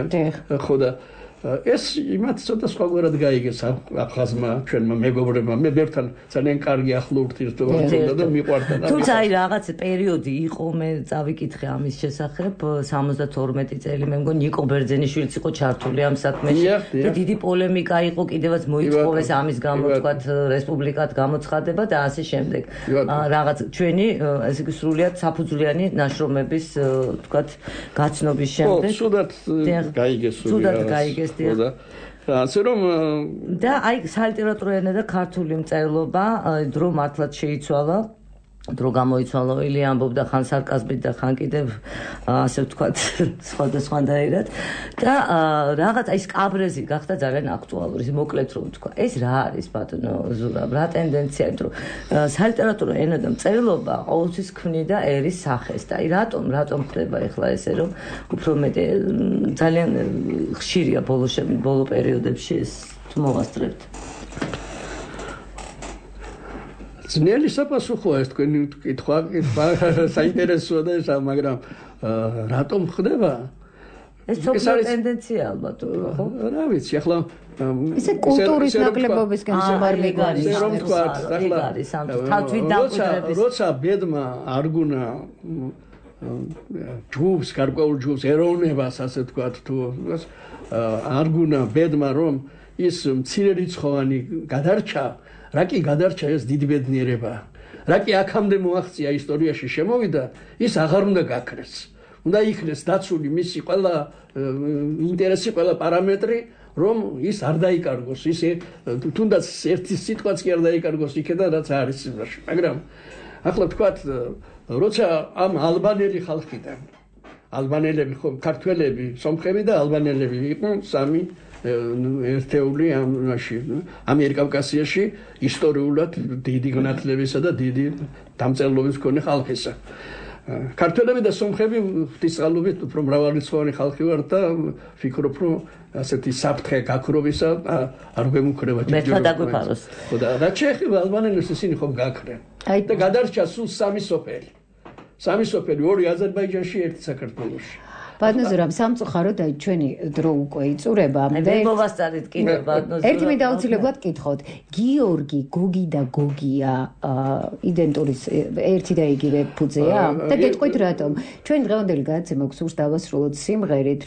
ხო და ეს იმათ ცოტა სხვაგვარად გაიგეს აფხაზმა, ჩვენმა მეგობრებმა. მე ბევრთან ძალიან კარგი ახლო ურთიერთობა მქონდა და მიყვარდა.
თუმცა აი რაღაც პერიოდი იყო, მე წავიკითხე ამის შესახებ, სამოცდათორმეტი წელი, მე მგონი ნიკო ბერძენიშვილიც იყო ჩართული ამ საქმეში და დიდი პოლემიკა იყო, კიდევაც მოიწოვეს ამის გამო, თქვათ, რესპუბლიკად გამოცხადება და ასე შემდეგ. რაღაც ჩვენი ესე იგი სრულიად საფუძვლიანი ნაშრომების, თქვათ, გაცნობის შემდეგ.
ხო, სუდად გაიგეს,
სუდად გაიგეს.
და ასე რომ
და აი სალიტერატურო ენა და ქართული მწერლობა დრო მართლაც შეიცვალა, დრო გამოიცვალა, ილი ამბობდა ხან სარკაზმით და ხან კიდევ ასე ვთქვათ სხვადასხვანაირად და რაღაც აი სკაბრეზი გახდა ძალიან აქტუალური, მოკლედ რომ ვთქვა. ეს რა არის ბატონო ზურაბ, რა ტენდენცია, რომ სალიტერატურო ენა და მწერლობა ყოველთვის ქმნიდა ერის სახეს და აი რატომ რატომ ხდება ახლა ესე რომ უფრო მეტი ძალიან ხშირია ბოლო ბოლო პერიოდებში ეს თუ მოვასწრებთ.
ძნელი საფასუხოა ეს თქვენი კითხვა, კითხვა საინტერესოა და ეს, მაგრამ რატომ ხდება?
ეს სოციალური ტენდენცია ალბათ უფრო, ხო?
რა ვიცი, ახლა
ისე კულტურის ნაკლებობისგან
შემარბი
არის.
რომ ვთქვა, ახლა
თავით დამკვიდრების
როცა ბედმა არ გუნა ჯგუფს, გარკვეულ ჯგუფს, ეროვნებას, ასე ვთქვათ, თუ არ გუნა ბედმა რომ ის მცირერიცხოვანი გადარჩა, რა კი გადარჩა ეს დიდი ბედნიერება. რა კი აქამდე მოაღწია ისტორიაში შემოვიდა, ის აღარ უნდა გაქრეს. უნდა იქნეს დაცული მისი ყველა ინტერესი, ყველა პარამეტრი, რომ ის არ დაიკარგოს, ის თუნდაც ერთი სიტყვაც კი არ დაიკარგოს იქიდან, რაც არის სიმრაში. მაგრამ ახლა ვთქვათ, როცა ამ ალბანელი ხალხიდან, ალბანელები, ხო, ქართველები, სომხები და ალბანელები იყვნენ სამი ერთეული ამაში ამიერკავკასიაში ისტორიულად დიდი განათლებისა და დიდი დამწერლობის მქონე ხალხისა. ქართველები და სომხები ღვთისმსალობით უფრო მრავალრიცხოვანი ხალხი ვართ და ვფიქრობ, რომ ასეთი საფრთხე გაქრობისა არ გვემუქრება
მეტად დაგვიფაროს.
ხო და რაც შეეხება ალბანელებს, ისინი ხომ გაქრენ. და გადარჩა სულ სამი სოფელი. სამი სოფელი, ორი აზერბაიჯანში, ერთი საქართველოში.
ბატონო სამწუხაროდ აი ჩვენი დრო უკვე იწურება
და მოვასწარით კიდე ბატონო
ერთი მინდა აუცილებლად გითხოთ გიორგი გოგი და გოგია იდენტური ერთი და იგივე ფუძეა და გეტყვით რატომ ჩვენ დღევანდელი გადაცემა გვსურს დავასრულოთ სიმღერით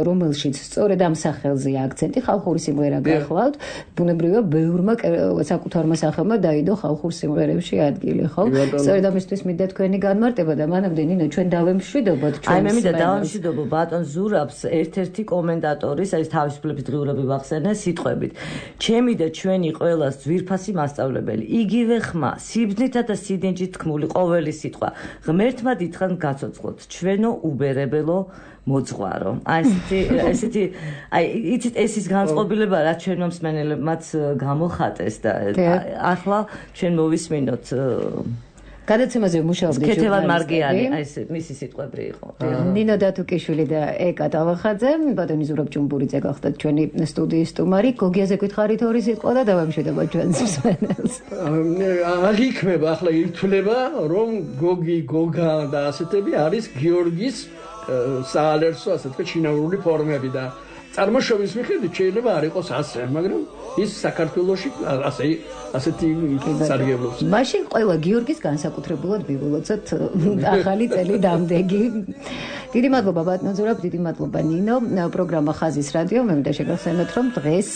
რომელშიც სწორედ ამ სახელზე აქცენტი ხალხური სიმღერა გახლავთ ბუნებრივია ბევრმა საკუთარმა სახელმა დაიდო ხალხურ სიმღერებში ადგილი ხო სწორედ ამისთვის მინდა თქვენი განმარტება და მანამდე ნინო ჩვენ დავემშვიდობოთ ჩვენ
აი მე მინდა დავემშვიდობო ბატონ ზურაბს ერთ-ერთი კომენტატორის აი თავისუფლების დღიურები ვახსენე სიტყვებით ჩემი და ჩვენი ყველას ძვირფასი მასწავლებელი იგივე ხმა სიბრძნითა და სიდენჯით თქმული ყოველი სიტყვა ღმერთმა დიდხან გაცოცხლოთ ჩვენო უბერებელო მოძღვარო აი ესეთი ესეთი აი იცით ეს ის განწყობილება რაც ჩვენმა მსმენელებმაც გამოხატეს და ახლა ჩვენ მოვისმინოთ
გადაცემაზე მუშაობდი
ქეთევან მარგიანი აი ეს მისი სიტყვები იყო
ნინო დათუკიშვილი და ეკა ტავახაძე ბატონი ზურაბ ჭუმბურიძე გახდათ ჩვენი სტუდიის სტუმარი გოგიაზე გითხარით ორი სიტყვა და დავამშვიდობოთ ჩვენს მსმენელს
არ იქნება ახლა ითვლება რომ გოგი გოგა და ასეთები არის გიორგის საალერსო ასე თქვა ჩინაური ფორმები და წარმოშობის მიხედვით შეიძლება არ იყოს ასე მაგრამ ის საქართველოში ასე ასეთი სარგებლობს.
მაშინ ყველა გიორგის განსაკუთრებულად მივულოცოთ ახალი წელი დამდეგი. დიდი მადლობა ბატონო ზურაბ, დიდი მადლობა ნინო. პროგრამა ხაზის რადიო მე მინდა შეგახსენოთ რომ დღეს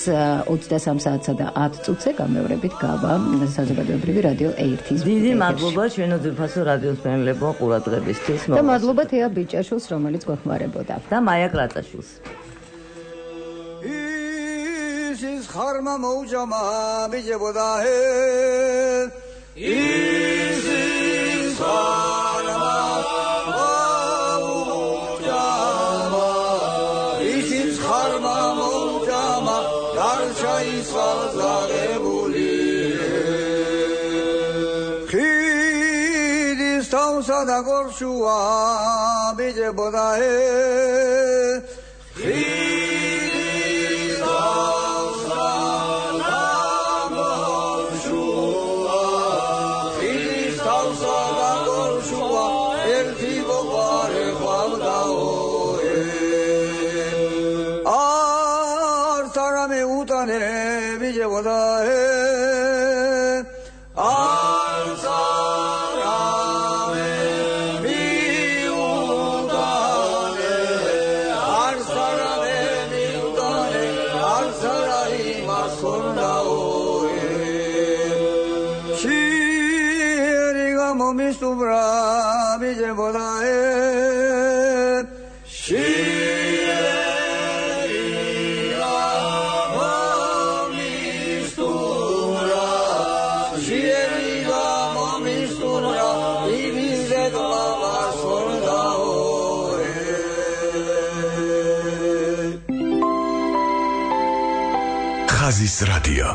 ოცდასამ საათსა და ათ წუთზე გამეორებით გავა საზოგადოებრივი რადიო ერთის.
დიდი მადლობა ჩვენო ძვირფასო რადიოს მენელებო ყურადღებისთვის.
და მადლობა თეა ბიჭაშვილს რომელიც გვეხმარებოდა.
და მაია კრატაშვილს.
Is harma moujama bijeboda he Is is harma moujama Is is harma moujama Darsha isal zagebuli Khidis tausa da gorshua bijeboda he
ხაზის რადიო